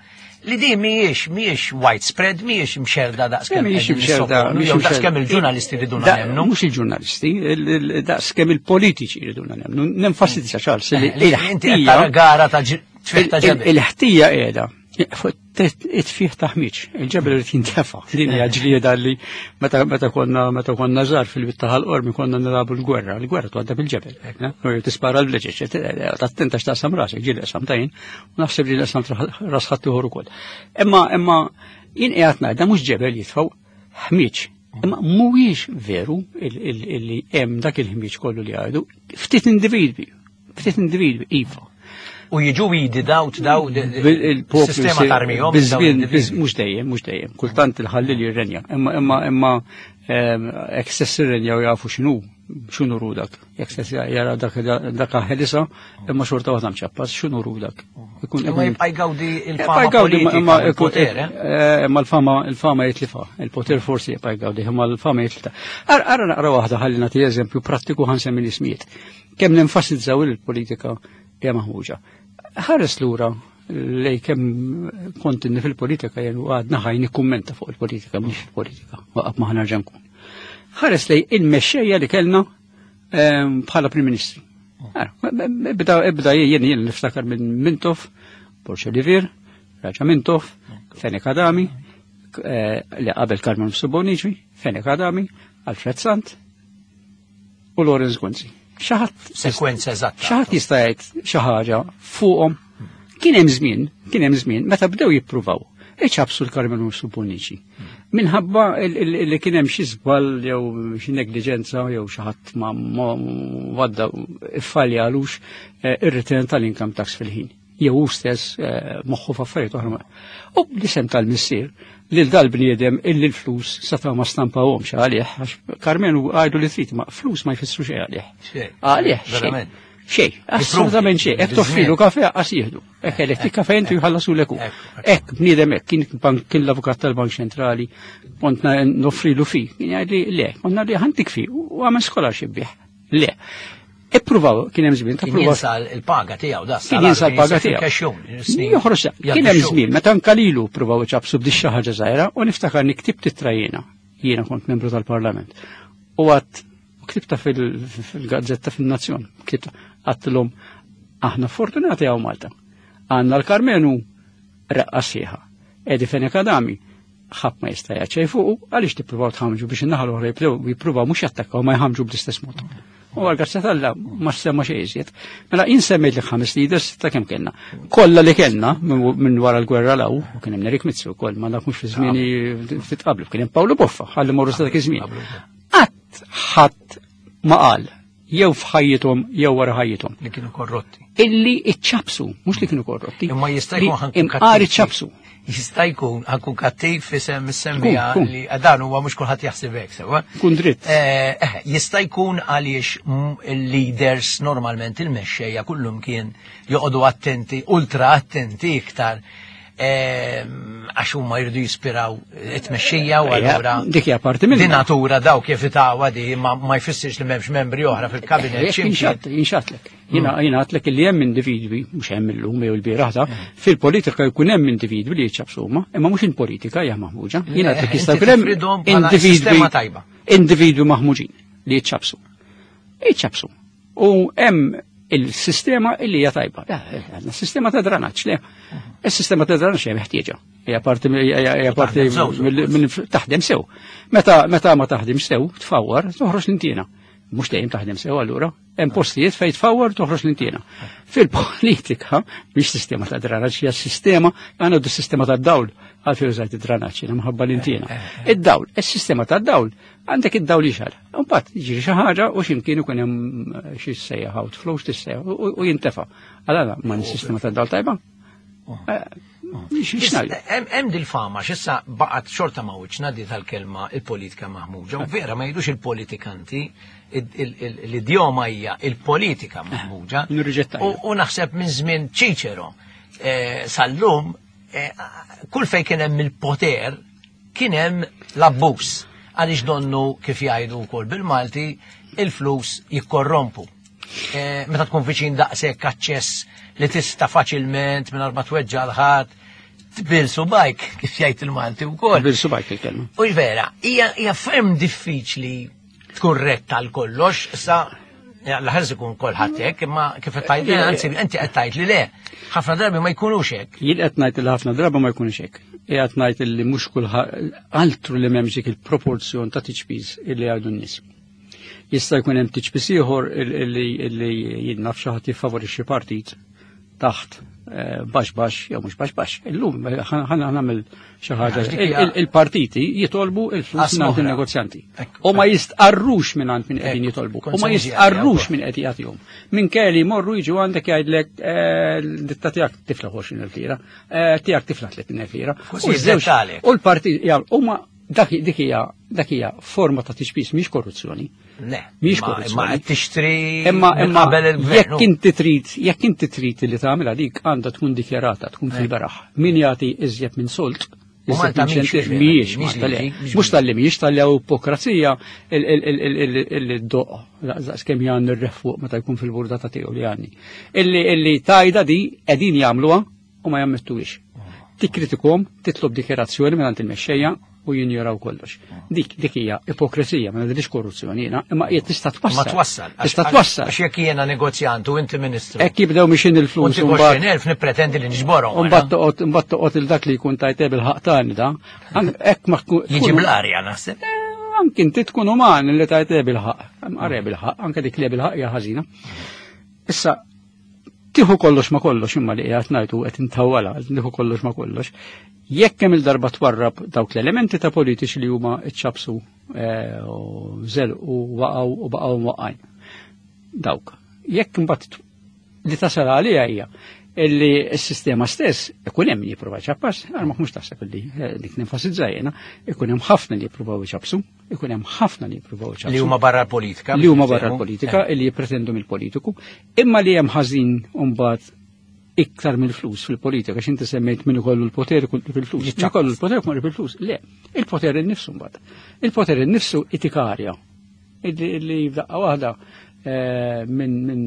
li di mhijiex mhijiex widespread, mhijiex mxerda daqskemm Mhijiex qegħdin mxerda, nissoponu, mhijiex jew mxerda. daqskemm il-ġurnalisti riduna Da- nemmnu. Mhux il-ġurnalisti, il- il- daqskemm il-politiċi riduna nemmnu. Nenfasizza Charles li Eh, Li inti qed il-ħtija tara gara ta' ġi- tfih ta' il- ġebel. Il-ħtija qiegħda fuq it-tfih ta' ħmiġ, il-ġebel irid jintefa'. Din hija ġlieda li meta meta konna meta konna żgħar fil-bitta ħal-qormi konna nilagħbu l-gwerra, l-gwerra tgħadda bil-ġebel. U Tispara l-vleġeġ, tattenta x'taqsam rasek, ġieli qsam tajn, u naħseb ġieli qsam ras ħadd ieħor ukoll. Imma imma jien qiegħed ngħidha mhux ġebel jitfgħu ħmiġ. Imma mhuwiex veru il- il- illi hemm dak il-ħmiġ kollu li għajdu, ftit individwi, ftit individwi, iva. U jiġu weeded out daw Il-poplu sistema tarmihom. daw Biż-żmien, l-individwi. mhux dejjem, mhux dejjem. Kultant il-ħallil jirrenja. Imma imma imma ehm, jekk stess irrenja u jafu x'inhu x'inhu rudak. Jekk stess jara dak dak ħelisa, imma xorta waħda mċappas, x'inhu rudak. Ikun Imma ikun jibqa' jgawdi il-fama Jibqa' jgawdi, politika imma u l-poter, eh? eh, imma l-fama il-fama jitlifa, il-poter forsi jibqa' jgawdi, imma l-fama jitlifa. Ara ara naqra waħda ħalli nagħti eżempju prattiku ħansemmi l-ismijiet. Kemm nenfasizzaw il-politika hija maħmuġa. Ħares lura lej kemm kont inni fil-politika jien u għadna ħaj nikkummenta fuq il-politika mhux il-politika, waqaf ma ħanerġa' nkun. Ħares lej il-mexxejja li kellna ehm, bħala Prim Ministri. Ara, Ibda ibda jien jien niftakar minn Mintoff, Borg Olivier, Raġa Mintoff, Fenech Adami, eh, li qabel Karmenu Bonnici, Fenech Adami, Alfred Sant u Lawrence Gonzi. Xi ħadd Sekwenza eżatta. xi ħadd jista' jgħid xi ħaġa fuqhom. Kien hemm żmien, kien hemm żmien meta bdew jippruvaw iċabsu l-Karmenu Bonnici. Minħabba il- il- li kien hemm xi żball jew xi negliġenza jew xi ħadd ma ma wadda iffalja għalux eh, ir-return tal-income tax fil-ħin. Jew hu stess eh, moħħu f'affarijiet oħra. U bl-isem tal-missier lil dal-bniedem illi l-flus setaw ma stampawhomx għalih għax Karmenu għajdu li trid ma flus ma jfissru xejn għalih. Xejn. Għalih, xejn. Verament. Xejn, assolutament xejn. Hekk toffrilu kafe qas jieħdu. Hekk eletti kafe intu jħallasu leku. Ekku, Hekk bniedem hekk kien bank kien l-avukat tal-Bank Ċentrali, kont na- noffrilu fi. Kien jgħidli le, kont li ħantik fi u għamel scholarship bih. Le. Ippruvaw kien hemm żmien ta' Kien pruvaw jinsa l-paga tiegħu da. kien jinsa l-paga tiegħu. Joħroġ kien hemm żmien meta anka lilu ppruvaw iċabsu b'di xi ħaġa żgħira u niftakar niktibt ittra jiena. Jiena kont membru tal-Parlament. U għat u ktibta fil- fil-gazzetta fin-Nazzjon, ktibta għattilhom aħna fortunati hawn Malta. Għandna l-Karmenu reqqa sieħa. Eddie Fenech Adami ħadd ma jista' jgħid xejn fuqu għaliex tippruvaw tħamġu biex in-naħa l-oħra jibdew jippruvaw mhux jattakkaw ma jħamġu bl-istess mod. U għal-grazzja t'Alla ma semma xejn iżjed. Mela jien semmejt li ħames leaders ta' kemm kellna. Kollha li kellna minn minn wara l-gwerra law, u kien hemm Nerik Mizzi wkoll ma dak mhux fi żmieni ftit qablu, kien hemm Pawlu Boffa, ħalli morru sa dak iż-żmien. Qatt ħadd ma qal jew f'ħajjithom jew wara ħajjithom. Li kienu korrotti. Illi iċċabsu, mhux li kienu korrotti. Imma jista' li jkun ħankun imqar kattiv. iċċabsu. Jista' jkun ħankun kattiv fisem is-semmija Kun, kun. li dan huwa mhux kulħadd jaħseb hekk sewwa. Kun dritt. Eh, eh, jista' jkun għaliex mm, il-leaders normalment il-mexxejja kullum kien joqogħdu attenti, ultra attenti iktar Għax huma jridu jispiraw it-tmexxija u allura dik hija parti minn di natura daw kif itawha di ma jfissirx li m'hemmx membri oħra fil-kabinet. Jinxatlek. Jiena jiena għadtlek li hemm individwi, mhux hemm illum jew il-bieraħ ta' fil-politika jkun hemm individwi li jiċċabsu huma, imma mhux il-politika hija maħmuġa. Jiena għadtlek jista' jkun hemm individwi individwi maħmuġin li jiċċabsu. Jiċċabsu. U hemm il-sistema illi hija tajba. Għandna sistema ta' dranaġġ, le. Is-sistema ta' dranaġġ hija meħtieġa. Hija parti hija parti minn taħdem sew. Meta meta ma taħdem sew, tfawwar, toħroġ l-intiena. Mhux dejjem taħdem sew allura. Hemm postijiet fejn tfawwar toħroġ l-intiena. Fil-politika mhix sistema ta' dranaġġ, hija sistema għandna sistema ta' dawl għalfejn użajt id-dranaġġ jiena mħabba l-intiena. Id-dawl, is-sistema ta' dawl għandek id-dawl jixgħel. Imbagħad jiġri xi ħaġa u x'imkien ikun hemm xi sejjaħ outflow x'tissejjaħ u jintefa'. Allura ma sistema ta' dawl tajba. Hemm dil-fama x'issa baqgħet xorta ma' wiċċna di tal-kelma il-politika maħmuġa. U vera ma jgħidux il-politikanti, l-idjoma hija il-politika maħmuġa. U naħseb minn żmien Ċiċero sal-lum kull fejn kien hemm il-poter kien hemm l-abbuż. Għaliex donnu kif jgħidu wkoll bil-Malti il-flus jikkorrompu. Meta tkun viċin daqshekk aċċess li tista' faċilment mingħajr ma tweġġa' l ħadd tbil subajk kif jgħid il-Malti wkoll. Tbil subajk il-kelma. U vera, hija ferm diffiċli tkun retta għal kollox, issa l-ħarż ikun kulħadd hekk, imma kif qed tgħid anzi inti qed tgħid li le, ħafna drabi ma jkunux hekk. Jien qed ngħid li ħafna drabi ma jkunux hekk. Qiegħed ngħid li mhux kulħadd altru li m'hemmx dik il-proporzjon ta' tiċpis illi jgħidu n-nies. Jista' jkun hemm tiċpis ieħor illi jien naf xi ħadd jiffavorixxi partit taħt baxx baxx jew mhux baxx baxx. Illum ħa nagħmel xi ħaġa. Il-partiti jitolbu il-flus mingħand in-negozjanti. U ma jistqarrux mingħand min qegħdin jitolbu. U ma jistqarrux min qed jagħtihom. Minkejja li jmorru jiġu għandek jgħidlek ditta tiegħek tifla għoxrin elf lira, tiegħek tifla tletin elf lira. U l-partit huma dak hija dak hija forma ta' tiċpis mhix korruzzjoni. Le, mhix korruzzjoni. Ma qed tixtri imma imma qabel il-gvern. Jekk inti trid, jekk inti trid li tagħmilha dik għandha tkun dikjarata, tkun fil-beraħ. Min jagħti iżjed minn solt, mhijiex mhux tal-li mhijiex tal-li hawn ipokrazija il-doq daqs kemm jgħanni r-refuq meta jkun fil-burdata tiegħu li għanni. Illi tajda di qegħdin jagħmluha u ma jammettuhiex. Tikkritikom, titlob dikjarazzjoni mingħand il-mexxejja u jinjoraw kollox. Dik dik hija ipokresija, ma ngħidilx korruzzjoni jiena, imma hija tista' twassal. Ma twassal. Tista' twassal. Għax jekk jiena negozjant u inti ministru. Hekk jibdew mixin il-flus u mbagħad elf nippretendi li niġborhom. U mbagħad toqgħod imbagħad toqgħod il dak li jkun tajteb il-ħaq tagħni da. Hekk ma jiġi bl-arja naħseb. Anke inti tkun uman li tajteb il-ħaq. Qreb il-ħaq, anke dik li bil-ħaq hija ħażina. Issa tieħu kollox ma kollox imma li qiegħed ngħidu qed intawwala, tieħu kollox ma kollox. Jekk hemm il-darba twarrab dawk l-elementi ta' politiċi li huma ċċabsu u żel u waqgħu u baqgħu mwaqgħin. Dawk. Jekk imbagħad li tasal għalija hija illi s-sistema stess ikun hemm li jipprova jċappas, għal ma mhux taħseb illi dik nenfasizza jiena, ikun hemm ħafna li jippruvaw iċappsu, ikun hemm ħafna li jippruvaw iċappsu. Li huma barra l-politika. Li huma barra l-politika, illi jippretendu mill-politiku, imma li hemm ħażin mbagħad iktar mill-flus fil-politika, għax inti semmejt min ikollu l-poter fil-flus. Min ikollu l-poter jkun fil-flus. Le, il-poter innifsu mbagħad. Il-poter innifsu itikarja. Illi f'daqqa waħda minn min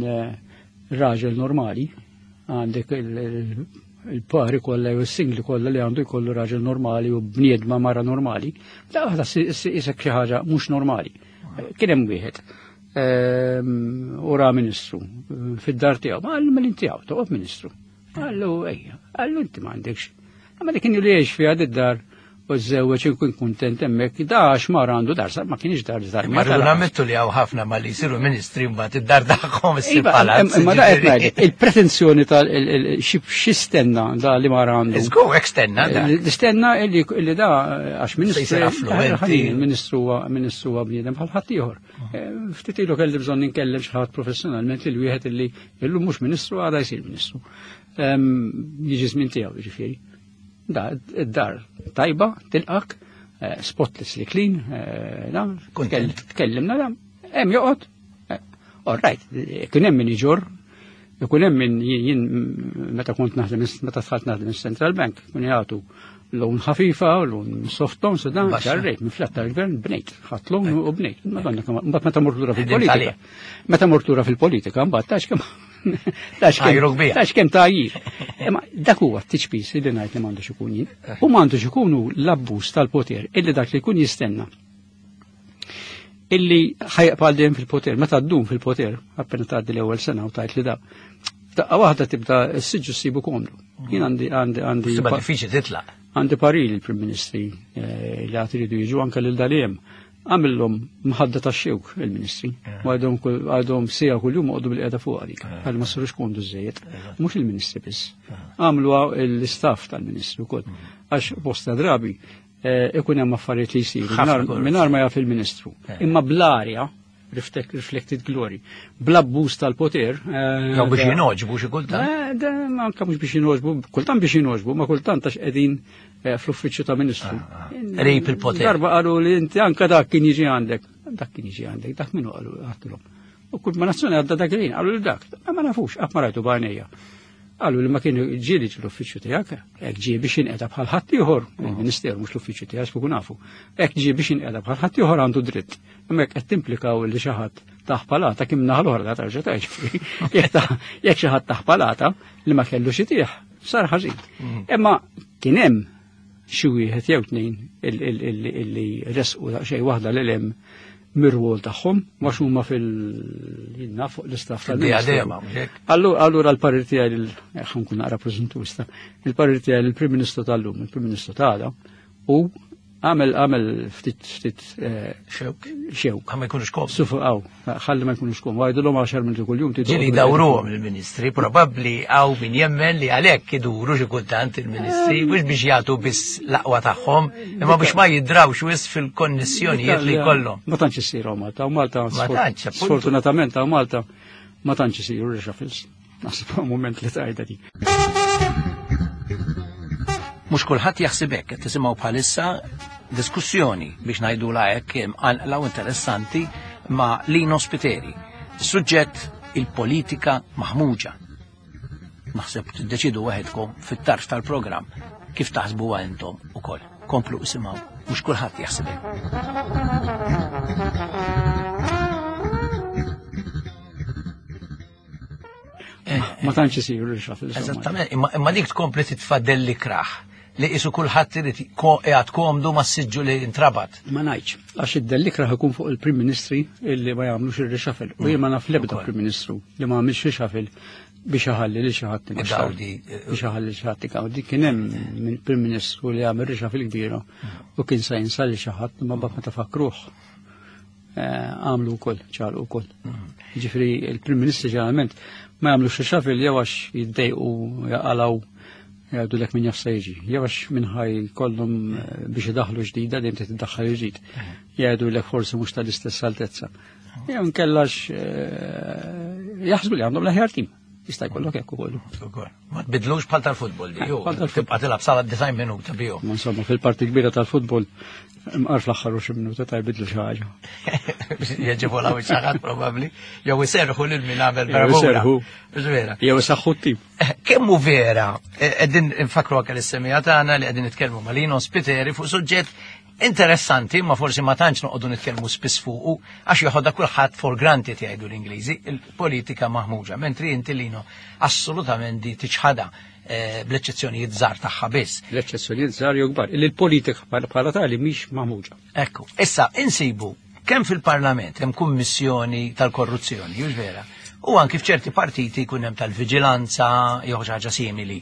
raġel normali għandek il-pari kollha jew is-singli kollha li għandu jkollu raġel normali u bniedma mara normali, f'daqqa waħda isek xi ħaġa mhux normali. Kien hemm wieħed u ra ministru fid-dar tiegħu, ma qallu mela inti hawn toqgħod ministru. Qallu ejja, qallu inti m'għandekx. Ma dik kien li jgħix fiha d-dar u żewweġ ikun kuntent hemmhekk, da għax mar għandu dar, ma kienx dar dar. Ma rridu nammettu li hawn ħafna ma li jsiru ministri mbagħad id-dar tagħhom issir palazz. Imma da qed ngħidlek, il-pretenzjoni tal xi stenna da li mar għandu. Żgur hekk stenna da. Stenna illi da għax ministru ministru ministru huwa bniedem bħal ħadd ieħor. Ftit ilu kelli bżonn inkellem xi ħadd professjonalment lil wieħed illi illum mhux ministru għada jsir ministru. Jiġi żmien tiegħu jiġifieri. Da, id-dar tajba, tilqak, spotlessly clean, da, tkellimna da, hemm joqgħod. All right, kien hemm min iġor, Ikun hemm min jien meta kont naħdem meta dħalt naħdem is-Central Bank, kun jagħtu loan ħafifa, loan soft loan, so dan ġarrejt minn flat tal-gvern bnejt, ħadd loan u bnejt. Madonna mbagħad meta mort lura fil-politika. Meta mort lura fil-politika mbagħad tax kemm tax kemm tax kemm tgħajjir. Imma dak huwa t-tiċpis li ngħid li m'għandux ikun jien. U m'għandux ikunu l-abbuż tal-poter illi dak li jkun jistenna illi ħajqpa dejjem fil-poter, meta ddum fil-poter, appena tgħaddi l-ewwel sena u tgħid li da. Daqqa waħda tibda s-siġġu ssibu komdu. Jien għandi għandi għandi. Tibda diffiċli titlaq. Għandi parili l-Prim Ministri eh, li għad iridu jiġu anke lil daljem. Għamillhom mħadda ta' xewk il-ministri. U għadhom għadhom sija kuljum għoddu bil-qiegħda fuq għalik. Għal ma sirux komdu żejjed. Mhux il-ministri biss. Għamlu l-istaff tal-ministri wkoll. Għax bosta drabi ikun hemm affarijiet li jsiru mingħajr ma jaf il-ministru. Imma bl-arja reflected glory, bl-abbuż tal-poter. Jew biex jinoġbu xi kultant. Anke mhux biex jinoġbu, kultant biex jinoġbu, ma kultant għax qegħdin fl-uffiċċju ta' ministru. Qrib il-poter. Darba qalu li inti anke dak kien jiġi għandek. Dak kien jiġi għandek, dak minnu qalu għattilhom. U kull ma nazzjoni għadda dak il-ħin, qalu li dak, ma nafux, qatt ma rajtu b'għajnejja. Qalu li ma kienu ġieli l-uffiċċju tiegħek, hekk ġie biex inqeda bħal ħadd ieħor, il-Ministeru mhux l-uffiċċju tiegħek kieku nafu. Hekk ġie biex inqeda bħal ħadd ieħor għandu dritt. Imma hekk qed timplikaw li xi ħadd taħ palata kien naħa l-oħra tarġa' tgħid. Jekk xi ħadd taħ palata li ma kellux itih, sar ħażin. Imma kien hemm xi wieħed jew tnejn illi resqu daqsxejn waħda lil hemm mir-rwol tagħhom għax huma fil-jinna fuq l-istaff tal-diadema. Allura l-parir tiegħi ħa nkun naqra preżentusta, il-parir tiegħi lill-Prim Ministru tal-lum, il-Prim Ministru tagħna, u għamel għamel ftit ftit xewk. Xewk. Ma jkunux kom. Sufu għaw, ħalli ma jkunux kom. Għajdulhom għaxar minuti kuljum. Ġieli dawruhom il-ministri, probabbli hawn min jemmen li għalhekk iduru xi kultant il-ministri, mhux biex jagħtu biss l-aqwa tagħhom, imma biex ma jidrawx wisq fil-konnessjonijiet li jkollhom. Ma tantx isiru Malta, u Malta sfortunatament hawn Malta ma tantx isiru reshuffles. Naħseb moment li tgħidha dik. Mhux kulħadd jaħseb hekk, qed tisimgħu bħalissa diskussjoni biex ngħidula hekk imqanqla u interessanti ma' Lino Spiteri. Suġġett il-politika maħmuġa. Naħseb tiddeċidu waħedkom fit-tarf tal-programm kif taħsbuha intom ukoll. Komplu isimgħu, mhux kulħadd jaħseb hekk. Ma tantx isiru reshuffles. Eżattament, imma dik tkompli titfadel li kraħ li qisu kulħadd irid qiegħed komdu mas-siġġu li intrabat. Ma ngħidx, għax id-dellikraħ ikun fuq il-Prim Ministri illi ma jagħmlux ir-reshuffle. U jien ma naf l-ebda Prim Ministru li ma għamilx reshuffle biex iħalli lil xi ħadd biex iħalli lil xi ħadd igawdi. Kien hemm Prim Ministru li għamel reshuffle kbira u kien sa jinsa lil xi ħadd imma mbagħad meta fakruh għamlu wkoll, ċalu wkoll. Ġifieri il-Prim Ministri ġeneralment ma jagħmlux reshuffle jew għax jiddejqu jaqalgħu jgħidu lek min jaf se jiġi, jew għax minħaj kollhom biex idaħlu ġdida dejjem trid tiddaħħal ġdid. Jgħidu lek forsi mhux tal-istess altezza. Jew nkellax jaħsbu li għandhom l-aħjar tim. Jista' jkollok hekk ukoll. Ma tbidlux bħal tal-futbol di, tibqa' tilgħab sala design minuta bihom. Ma insomma fil-parti kbira tal-futbol imqar fl-aħħar xi minuta ta' jbidlu xi ħaġa. Jeġibu law xi ħadd probabbli, jew iserħu lil min għamel bravura. Vera. Jew isaħħu t-tim. Kemm hu vera, qegħdin infakru anke lis-semija tagħna li qegħdin nitkellmu ma' Lino Spiteri fuq suġġett interessanti, ma forsi ma tantx noqogħdu nitkellmu spiss fuqu għax joħodha kulħadd for granted jgħidu l-Ingliżi, il-politika maħmuġa, mentri inti Lino assolutament di tiċħada bl-eċċezzjonijiet żgħar tagħha biss. L-eċċezzjonijiet żgħar jew kbar, illi l-politika bħala tali mhix maħmuġa. Ekku, issa insibu kemm fil-Parlament hemm kummissjoni tal-korruzzjoni, hux vera, u anki f'ċerti partiti jkun hemm tal-viġilanza jew xi ħaġa simili.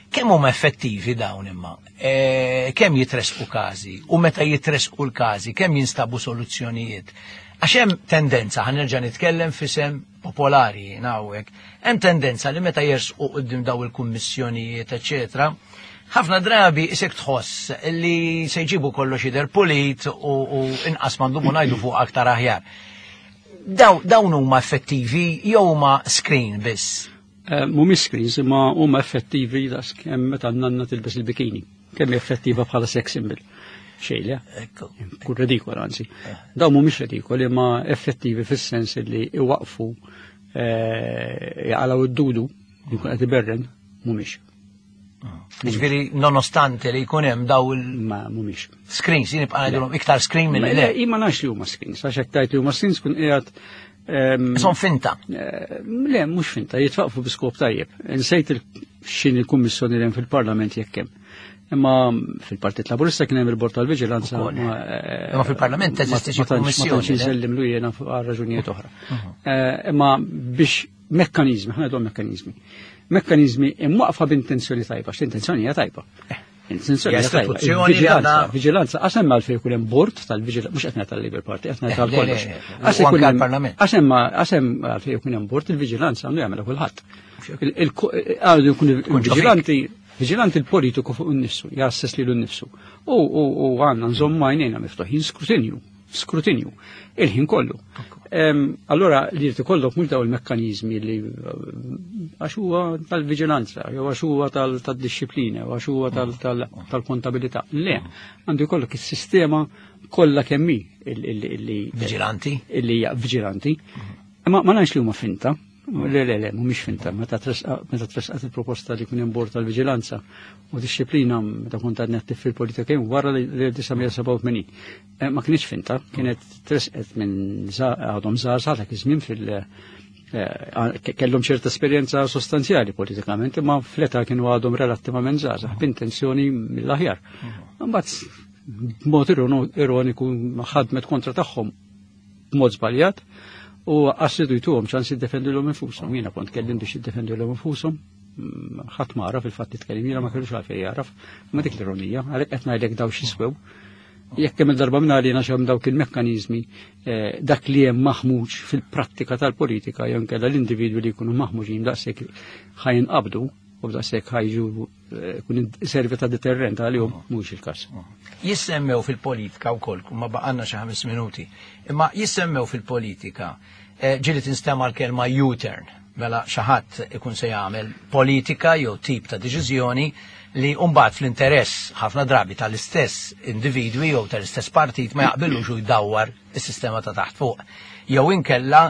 Kemm huma effettivi dawn imma? E, kemm jitresqu każi? U meta jitresqu l-każi, kemm jinstabu soluzzjonijiet? Għax hemm tendenza, ħa nerġa' nitkellem f'isem popolari hawnhekk, hemm tendenza li meta jersqu quddiem daw il-kummissjonijiet, eċetera, ħafna drabi isek tħoss li se jġibu kollox jidher pulit u, u inqas m'għandhom ngħidu fuq aktar aħjar. Daw, dawn huma effettivi jew huma screen biss? Mhumiex screens, imma huma effettivi daqskemm meta nanna tilbes il-bikini. Kemm effettiva bħala sex symbol. Xejn, kun redikola anzi. Dawn mhumiex redikoli, imma effettivi fis-sens li iwaqfu jaqalgħu id-dudu li jkun qed iberren, mhumiex. Ġifieri nonostante li jkun hemm daw il Ma mhumiex. Screens, jien nibqa' ngħidulhom iktar screen milli le. Imma nafx li huma screens, għax hekk tgħid li huma screens kun qiegħed Son finta. Le, mhux finta, jitwaqfu bi skop tajjeb. Insejt x'inhi il-kummissjoni li hemm fil-Parlament jekk hemm. Imma fil-Partit Laburista kien hemm il-Bord tal-Viġilanza. Imma fil-Parlament teżisti xi kummissjoni. Ma tantx insellimlu jiena għal raġunijiet oħra. Imma biex mekkanizmi, ħa ngħidu mekkanizmi. Mekkanizmi imwaqfa b'intenzjoni tajba, x'intenzjoni hija tajba. Intenzjoni hija tajba. Viġilanza, viġilanza, għax hemm għalfejn ikun hemm bord tal-viġilanza, mhux qed ngħid tal-Labour Party, qed ngħid tal-kollox. Għax ikun hemm għax hemm għax hemm għalfejn ikun hemm bord il-viġilanza għandu jagħmel kulħadd. Għandu jkun viġilanti viġilanti il-politiku fuq innifsu, jassess lilu nnifsu. U għandna nżommu għajnejna miftuħin skrutinju, skrutinju, il-ħin kollu. Allora li jrid ikollok mhux daw il-mekkaniżmi li għax huwa tal-viġilanza, jew għax huwa tad-dixxiplina, jew għax huwa tal-kontabilità. Le, għandu jkollok is-sistema kollha kemm hi illi viġilanti, illi hija viġilanti. Ma ma nafx li huma finta. Le, le, le, mhumiex finta. Meta tresqat il-proposta li jkun hemm bord tal-viġilanza u dixxiplina meta kont għadni attiv fil-politika kien wara l-elf disa' mija sebgħa u tmenin. Ma kienx finta, kienet tresqet minn għadhom żgħar dak iż-żmien fil- kellhom ċerta esperjenza sostanzjali politikament, imma fl-età kienu għadhom relattivament żgħażagħ b'intenzjoni mill-aħjar. Imbagħad b'mod ironiku ħadmet kontra tagħhom b'mod żbaljat u għassidu jtuhom ċans jiddefendu infushom. Jiena kont kellim biex jiddefendu l infushom, ħadd ma għaraf il-fatt titkellem jiena ma kellux għalfejn jagħraf, ma dik l-ironija, għalhekk qed ngħidlek daw x'jiswew. Jekk hemm il-darba minn għalina x'hemm dawk il-mekkaniżmi, dak li hemm maħmuġ fil-prattika tal-politika jew inkella l-individwi li jkunu maħmuġin daqshekk ħajinqabdu u daqshekk ħajġu kun servi ta' deterrent għalihom, mhux il-każ. Jissemmew fil-politika wkoll, ma baqgħalna xi ħames minuti, imma jissemmew fil-politika ġieli tinstema' l-kelma U-turn, mela xi ħadd ikun se jagħmel politika jew tip ta' deċiżjoni li mbagħad fl-interess ħafna drabi tal-istess individwi jew tal-istess partit ma jaqbilux u jdawwar is-sistema ta' taħt fuq. Jew inkella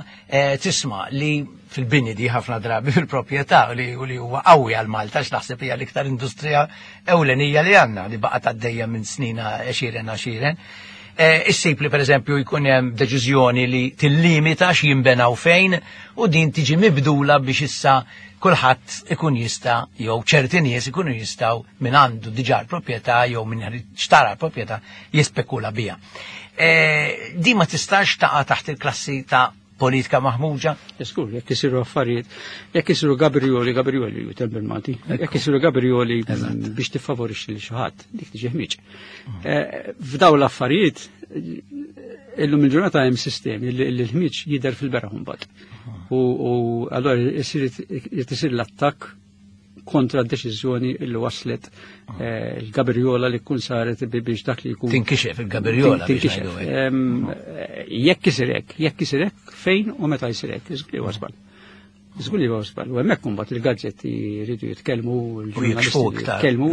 tisma' li fil-bini di ħafna drabi fil-proprjetà li huwa qawwi għal Malta x'naħseb hija l-iktar industrija ewlenija li għandna li baqgħet għaddejja minn snina għexieren għexieren. Issib li pereżempju jkun hemm deċiżjoni li tillimita x'jinbenaw fejn u din tiġi mibdula biex issa kulħadd ikun jista' jew ċerti nies ikunu jistgħu minn għandu diġà l-proprjetà jew minn xtara l-proprjetà jispekula biha. Di ma tistax taqa' taħt il-klassi ta' politika maħmuġa? Skur, jekk isiru affarijiet, jekk isiru Gabrioli, Gabrioli ju temp il-Malti, jekk isiru Gabrioli biex tiffavorixxi lil xi ħadd, dik tiġi ħmiġ. F'daw l-affarijiet, illum il-ġurnata hemm sistemi li l-ħmiġ jidher fil-beraħ mbagħad. U allura jrid isir l-attakk kontra d-deċiżjoni li waslet il-Gabriola li kun saret biex dak li jkun. Tinkixef il-Gabriola. Tinkixef. Jekk isir hekk, jekk isir hekk, fejn u meta jsir hekk, żgur li huwa żball. Żgur li huwa żball. U hemmhekk imbagħad il-gazzetti jridu jitkellmu, il-ġurnalisti jitkellmu.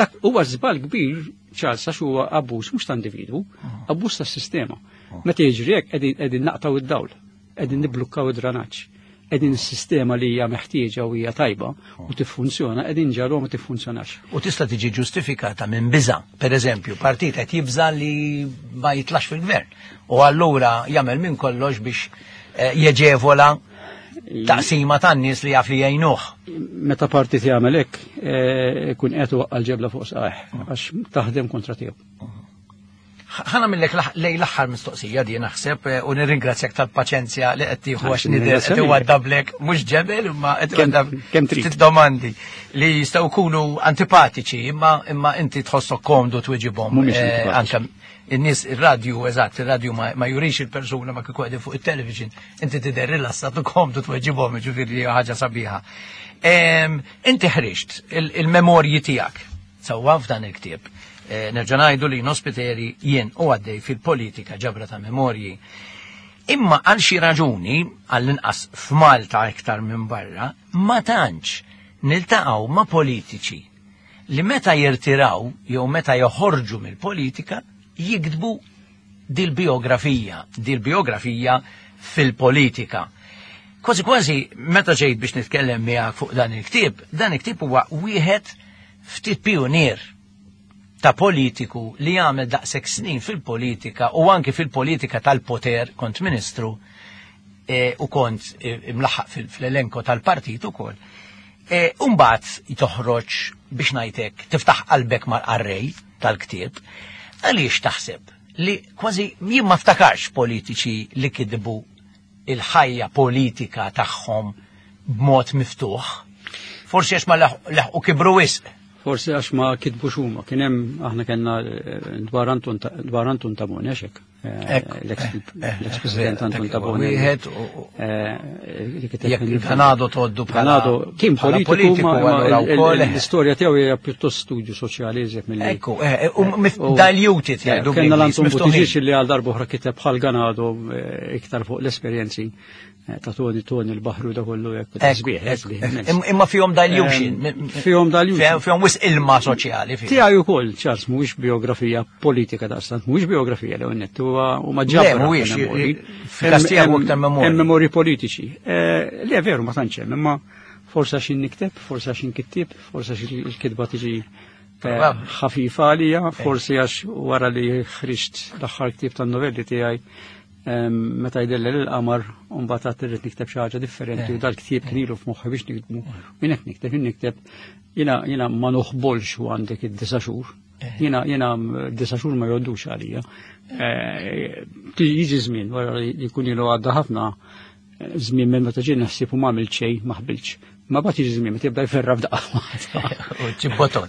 Dak huwa żball kbir, Charles, għax huwa abbuż mhux ta' individwu, abbuż tas-sistema. Meta jiġri hekk qegħdin naqtaw id-dawl, qegħdin niblukkaw id-dranaġġ. Qegħdin is-sistema li hija meħtieġa u hija tajba u tiffunzjona, qegħdin ġarru ma tiffunzjonax. U tista' tiġi ġustifikata minn biża'. Per eżempju, partit qed jibża' li ma jitlax fil-gvern. U allura jagħmel minn kollox biex jeġevola taqsima tan-nies li jaf li jgħinuh. Meta partit jagħmel hekk, ikun qed iwaqqa' l-ġebla fuq saqajh għax taħdem kontra tiegħu. Ħana millek lej l-aħħar mistoqsija di naħseb u nirringrazzjak tal-paċenzja li qed tieħu għax nidher qed iwaddablek mhux ġebel imma qed iwaddab ftit domandi li jistgħu jkunu antipatiċi imma imma inti tħossok komdu tweġibhom anke in-nies ir-radju eżatt ir-radju ma jurix il-persuna ma kieku qegħdin fuq it-television inti tidher rilassat u komdu tweġibhom jiġifieri ħaġa sabiħa. Inti ħriġt il-memorji tiegħek sewwa f'dan il-ktieb. Nerġa' ngħidu li Nospiteri jien u għaddej fil-politika ġabra ta' memorji. Imma għal xi raġuni, għall-inqas f'Malta iktar minn barra, ma tantx niltaqgħu ma' politiċi li meta jirtiraw jew meta joħorġu mill-politika jiktbu dil-biografija, dil-biografija fil-politika. Kważi kważi meta ġejt biex nitkellem miegħek fuq dan il-ktieb, dan il-ktieb huwa wieħed ftit pionier ta' politiku li għamel daqshekk snin fil-politika u anki fil-politika tal-poter, kont ministru e, u kont e, imlaħħaq fil-elenko tal-partit ukoll. E, Umbagħad toħroġ biex ngħidlek tiftaħ qalbek mal-qarrej tal-ktieb, għaliex taħseb li kważi jien ma ftakarx politiċi li kidbu il-ħajja politika tagħhom b'mod miftuħ. Forsi għax ma laħqu kibru wisq. Forsi għax ma kitbux huma. Kien hemm aħna kellna dwar Anton dwar Anton Tabone għax hekk. L-ex-president Anton Tabone. Wieħed jekk Ganado toddu bħala kien politiku ma l-istorja tiegħu hija pjuttost studju soċjali iżjed milli. Ekku, u diluted jgħidu. Kellna l-Anton Buttigieg li għal darba oħra kiteb bħal Ganado iktar fuq l-esperjenzi ta' Toni Toni l-baħru da kollu hekk sbieħ. Imma fihom dilution. Fihom dilution. Fihom wisq ilma soċjali. Tiegħi wkoll, Charles, mhuwiex biografija politika daqstant, mhuwiex biografija li nett huwa huma ġabra. Mhuwiex fil-każ tiegħu aktar memorji. Hemm memorji politiċi. Le veru ma tantx hemm, imma forsi għax nikteb, forsi għax inkittieb, forsi għax il-kitba tiġi ħafifa għalija, forsi għax wara li ħriġt l-aħħar ktieb tan-novelli tiegħi meta jdellel il-qamar u mbagħad għad irrid nikteb xi ħaġa differenti u dal-ktieb kien ilu f'moħħi biex niktbu. Jien hekk nikteb, jien nikteb, jiena jiena ma noħbolx u għandek id-disa' xhur. Jiena jiena disa' xhur ma jgħoddux għalija. Jiġi żmien wara li jkun ilu għadda ħafna żmien minn meta ġie naħseb u ma għamilt xejn, ma ħbiltx. Ma bagħad jiġi żmien meta jibda jferra f'daqqa. U ġibotom.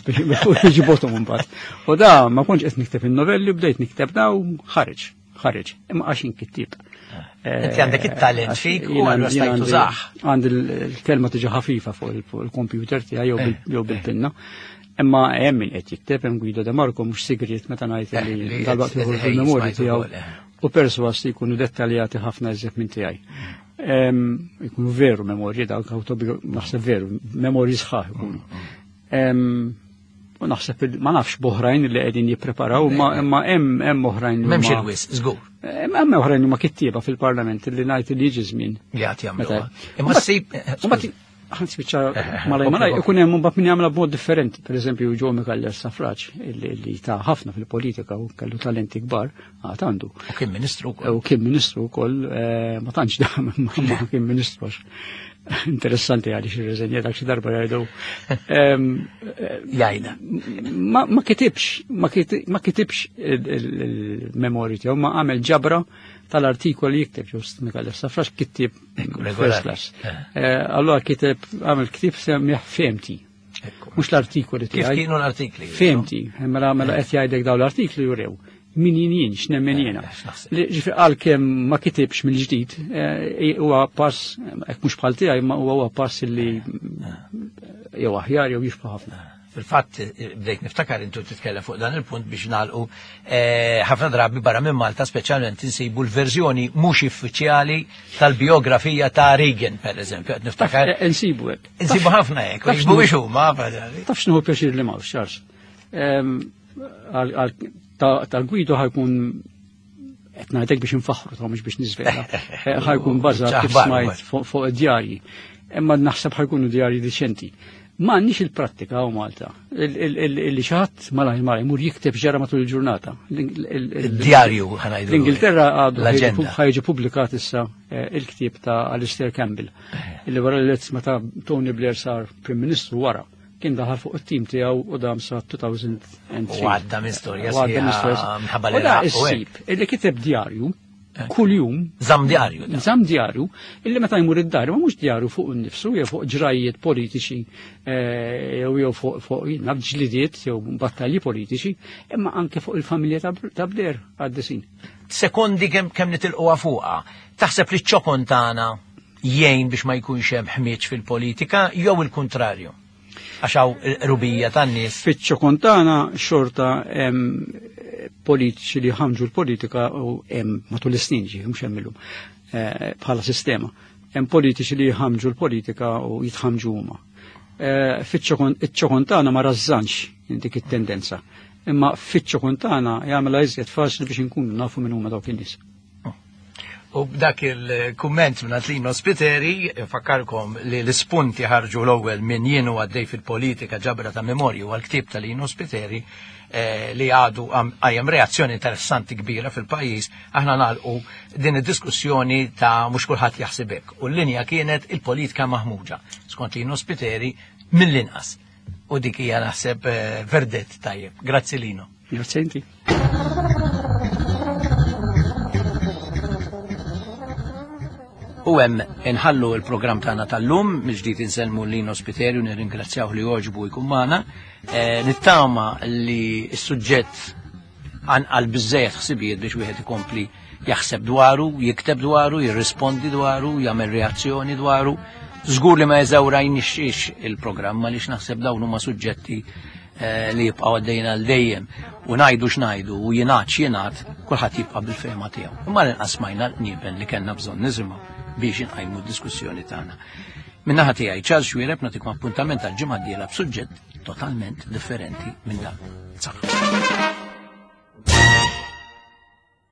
U ġibotom imbagħad. U da ma kontx qed nikteb in-novelli, bdejt nikteb da u ħareġ. Ħareġ, imma għax inkittieb. Inti għandek it-talent fik u għallu stajt tużah. Għandi l-kelma tiġi ħafifa fuq il-kompjuter tiegħi jew bil-pinna. Imma hemm min qed jikteb, hemm Guido De Marco mhux sigriet meta ngħid li dalwaqt joħorġu il-memorji tiegħu u perswas li jkunu dettaljati ħafna iżjed minn tiegħi. Jkunu veru memorji dawk naħseb veru, memorji sħaħ ikunu. U naħseb ma nafx boħrajn li qegħdin jippreparaw, imma hemm hemm oħrajn. M'hemmx il-wis, żgur. Hemm oħrajn huma kittieba fil-Parlament li ngħid li jiġi żmien. Li għad jagħmluha. Imma ssib ħanspiċċa malaj malaj ikun hemm mbagħad min jagħmilha b'mod differenti. Pereżempju Joe Micallef Stafrace li ta' ħafna fil-politika u kellu talenti kbar għad għandu. U kien ministru wkoll. U kien ministru wkoll, ma tantx dam imma kien ministru għax interessanti għaliex irreżenja dak xi darba jgħidu. Jgħidha. Ma kitibx, ma kitibx il-memorji tiegħu, ma għamel ġabra tal-artikoli jikteb ġust Micallef Stafrace kittieb first class. Allora kiteb għamel ktieb semmih Femti. Mhux l-artikoli tiegħi. Kif kienu l-artikli? Femti, mela mela qed jgħidlek dawn l-artikli jurew. Min jien jien, x'nemmen jiena. Ġifieri għalkemm ma kitibx mill-ġdid, huwa pass, hekk mhux bħal tiegħi, ma huwa pass li jew aħjar jew jixbah ħafna. Fil-fatt bdejt niftakar intu titkellem fuq dan il-punt biex nagħlqu ħafna drabi barra minn Malta speċjalment insibu l-verżjoni mhux uffiċjali tal-biografija ta' Reagan pereżempju, qed niftakar. Insibu hekk. Insibu ħafna hekk, mhuwiex huma. Taf x'inhu pjaċir li m'hawnx, Charles. Tal-Guido ħajkun qed ngħidlek biex infaħħru ta' mhux biex niżvela. Ħajkun bażat kif smajt fuq id-djarji. Imma naħseb ħajkunu djarji diċenti. Ma għandniex il-prattika u Malta. Illi xi ħadd malajr malajr imur jikteb ġara matul il-ġurnata. Id-djarju ħanajdu. L-Ingilterra għadu ħajġi pubblikat issa il-ktieb ta' Alistair Campbell. Illi wara li meta Tony Blair sar Prim Ministru wara kien daħal fuq it-tim tiegħu u dam sa two thousand and three. U għadda minn storja sħiħa minħabba li issib illi kiteb djarju kuljum. Żamm djarju. Żamm djarju illi meta jmur id-dar ma mhux djarju fuq innifsu jew fuq ġrajiet politiċi jew jew fuq fuq ġlidiet jew battalji politiċi, imma anke fuq il-familja ta' Blair għaddisin. Sekondi kemm kemm nitilquha fuqha, taħseb li ċ-ċokon tagħna jgħin biex ma jkunx hemm ħmieġ fil-politika jew il-kuntrarju? Għax hawn rubija tan-nies. Fiċ-ċokon tagħna xorta hemm politiċi li ħamġu l-politika u hemm matul is-snin ġi mhux hemm illum bħala sistema. Hemm politiċi li jħamġu l-politika u jitħamġu huma. Fiċ-ċokon tagħna ma rażżanx dik it-tendenza. Imma fiċ-ċokon tagħna jagħmilha iżjed faċli biex inkunu nafu min huma dawk in-nies. U b'dak il-kumment minn Lino Spiteri, fakkarkom li l-ispunti ħarġu l-ewwel minn jien u għaddej fil-politika ġabra ta' memorju għal-ktieb ta' Lino Spiteri eh, li għadu għajem reazzjoni interessanti kbira fil-pajjiż, aħna nagħlqu din id-diskussjoni ta' mhux kulħadd jaħseb hekk. U l-linja kienet il-politika maħmuġa, skont Lino Spiteri mill-inqas. U dik hija naħseb eh, verdett tajjeb. Grazzi Lino. Grazzi inti. U hemm inħallu l-programm tagħna tal-lum, mill-ġdid insellmu Lino Spiteri u nirringrazzjaw li għoġbu jkun magħna. Eh, nittama li s-suġġett għal biżejjed ħsibijiet biex wieħed ikompli jaħseb dwaru, jikteb dwaru, jirrispondi dwaru, jagħmel reazzjoni dwaru. Żgur li ma jeżawrajniex il-programm għaliex naħseb dawn huma suġġetti eh, li jibqgħu għaddejjin għal dejjem u ngħidu x'ngħidu u jingħad x'jingħad, kulħadd jibqa' bil-fehma tiegħu. Imma l-inqas smajna l-qniepen li kellna bżonn nisimgħu biex inqajmu d-diskussjoni tagħna. Min-naħa tiegħi Charles Xuereb nagħtikom appuntament għal ġimgħa d-dieħla b'suġġett totalment differenti minn dan. Saħħa.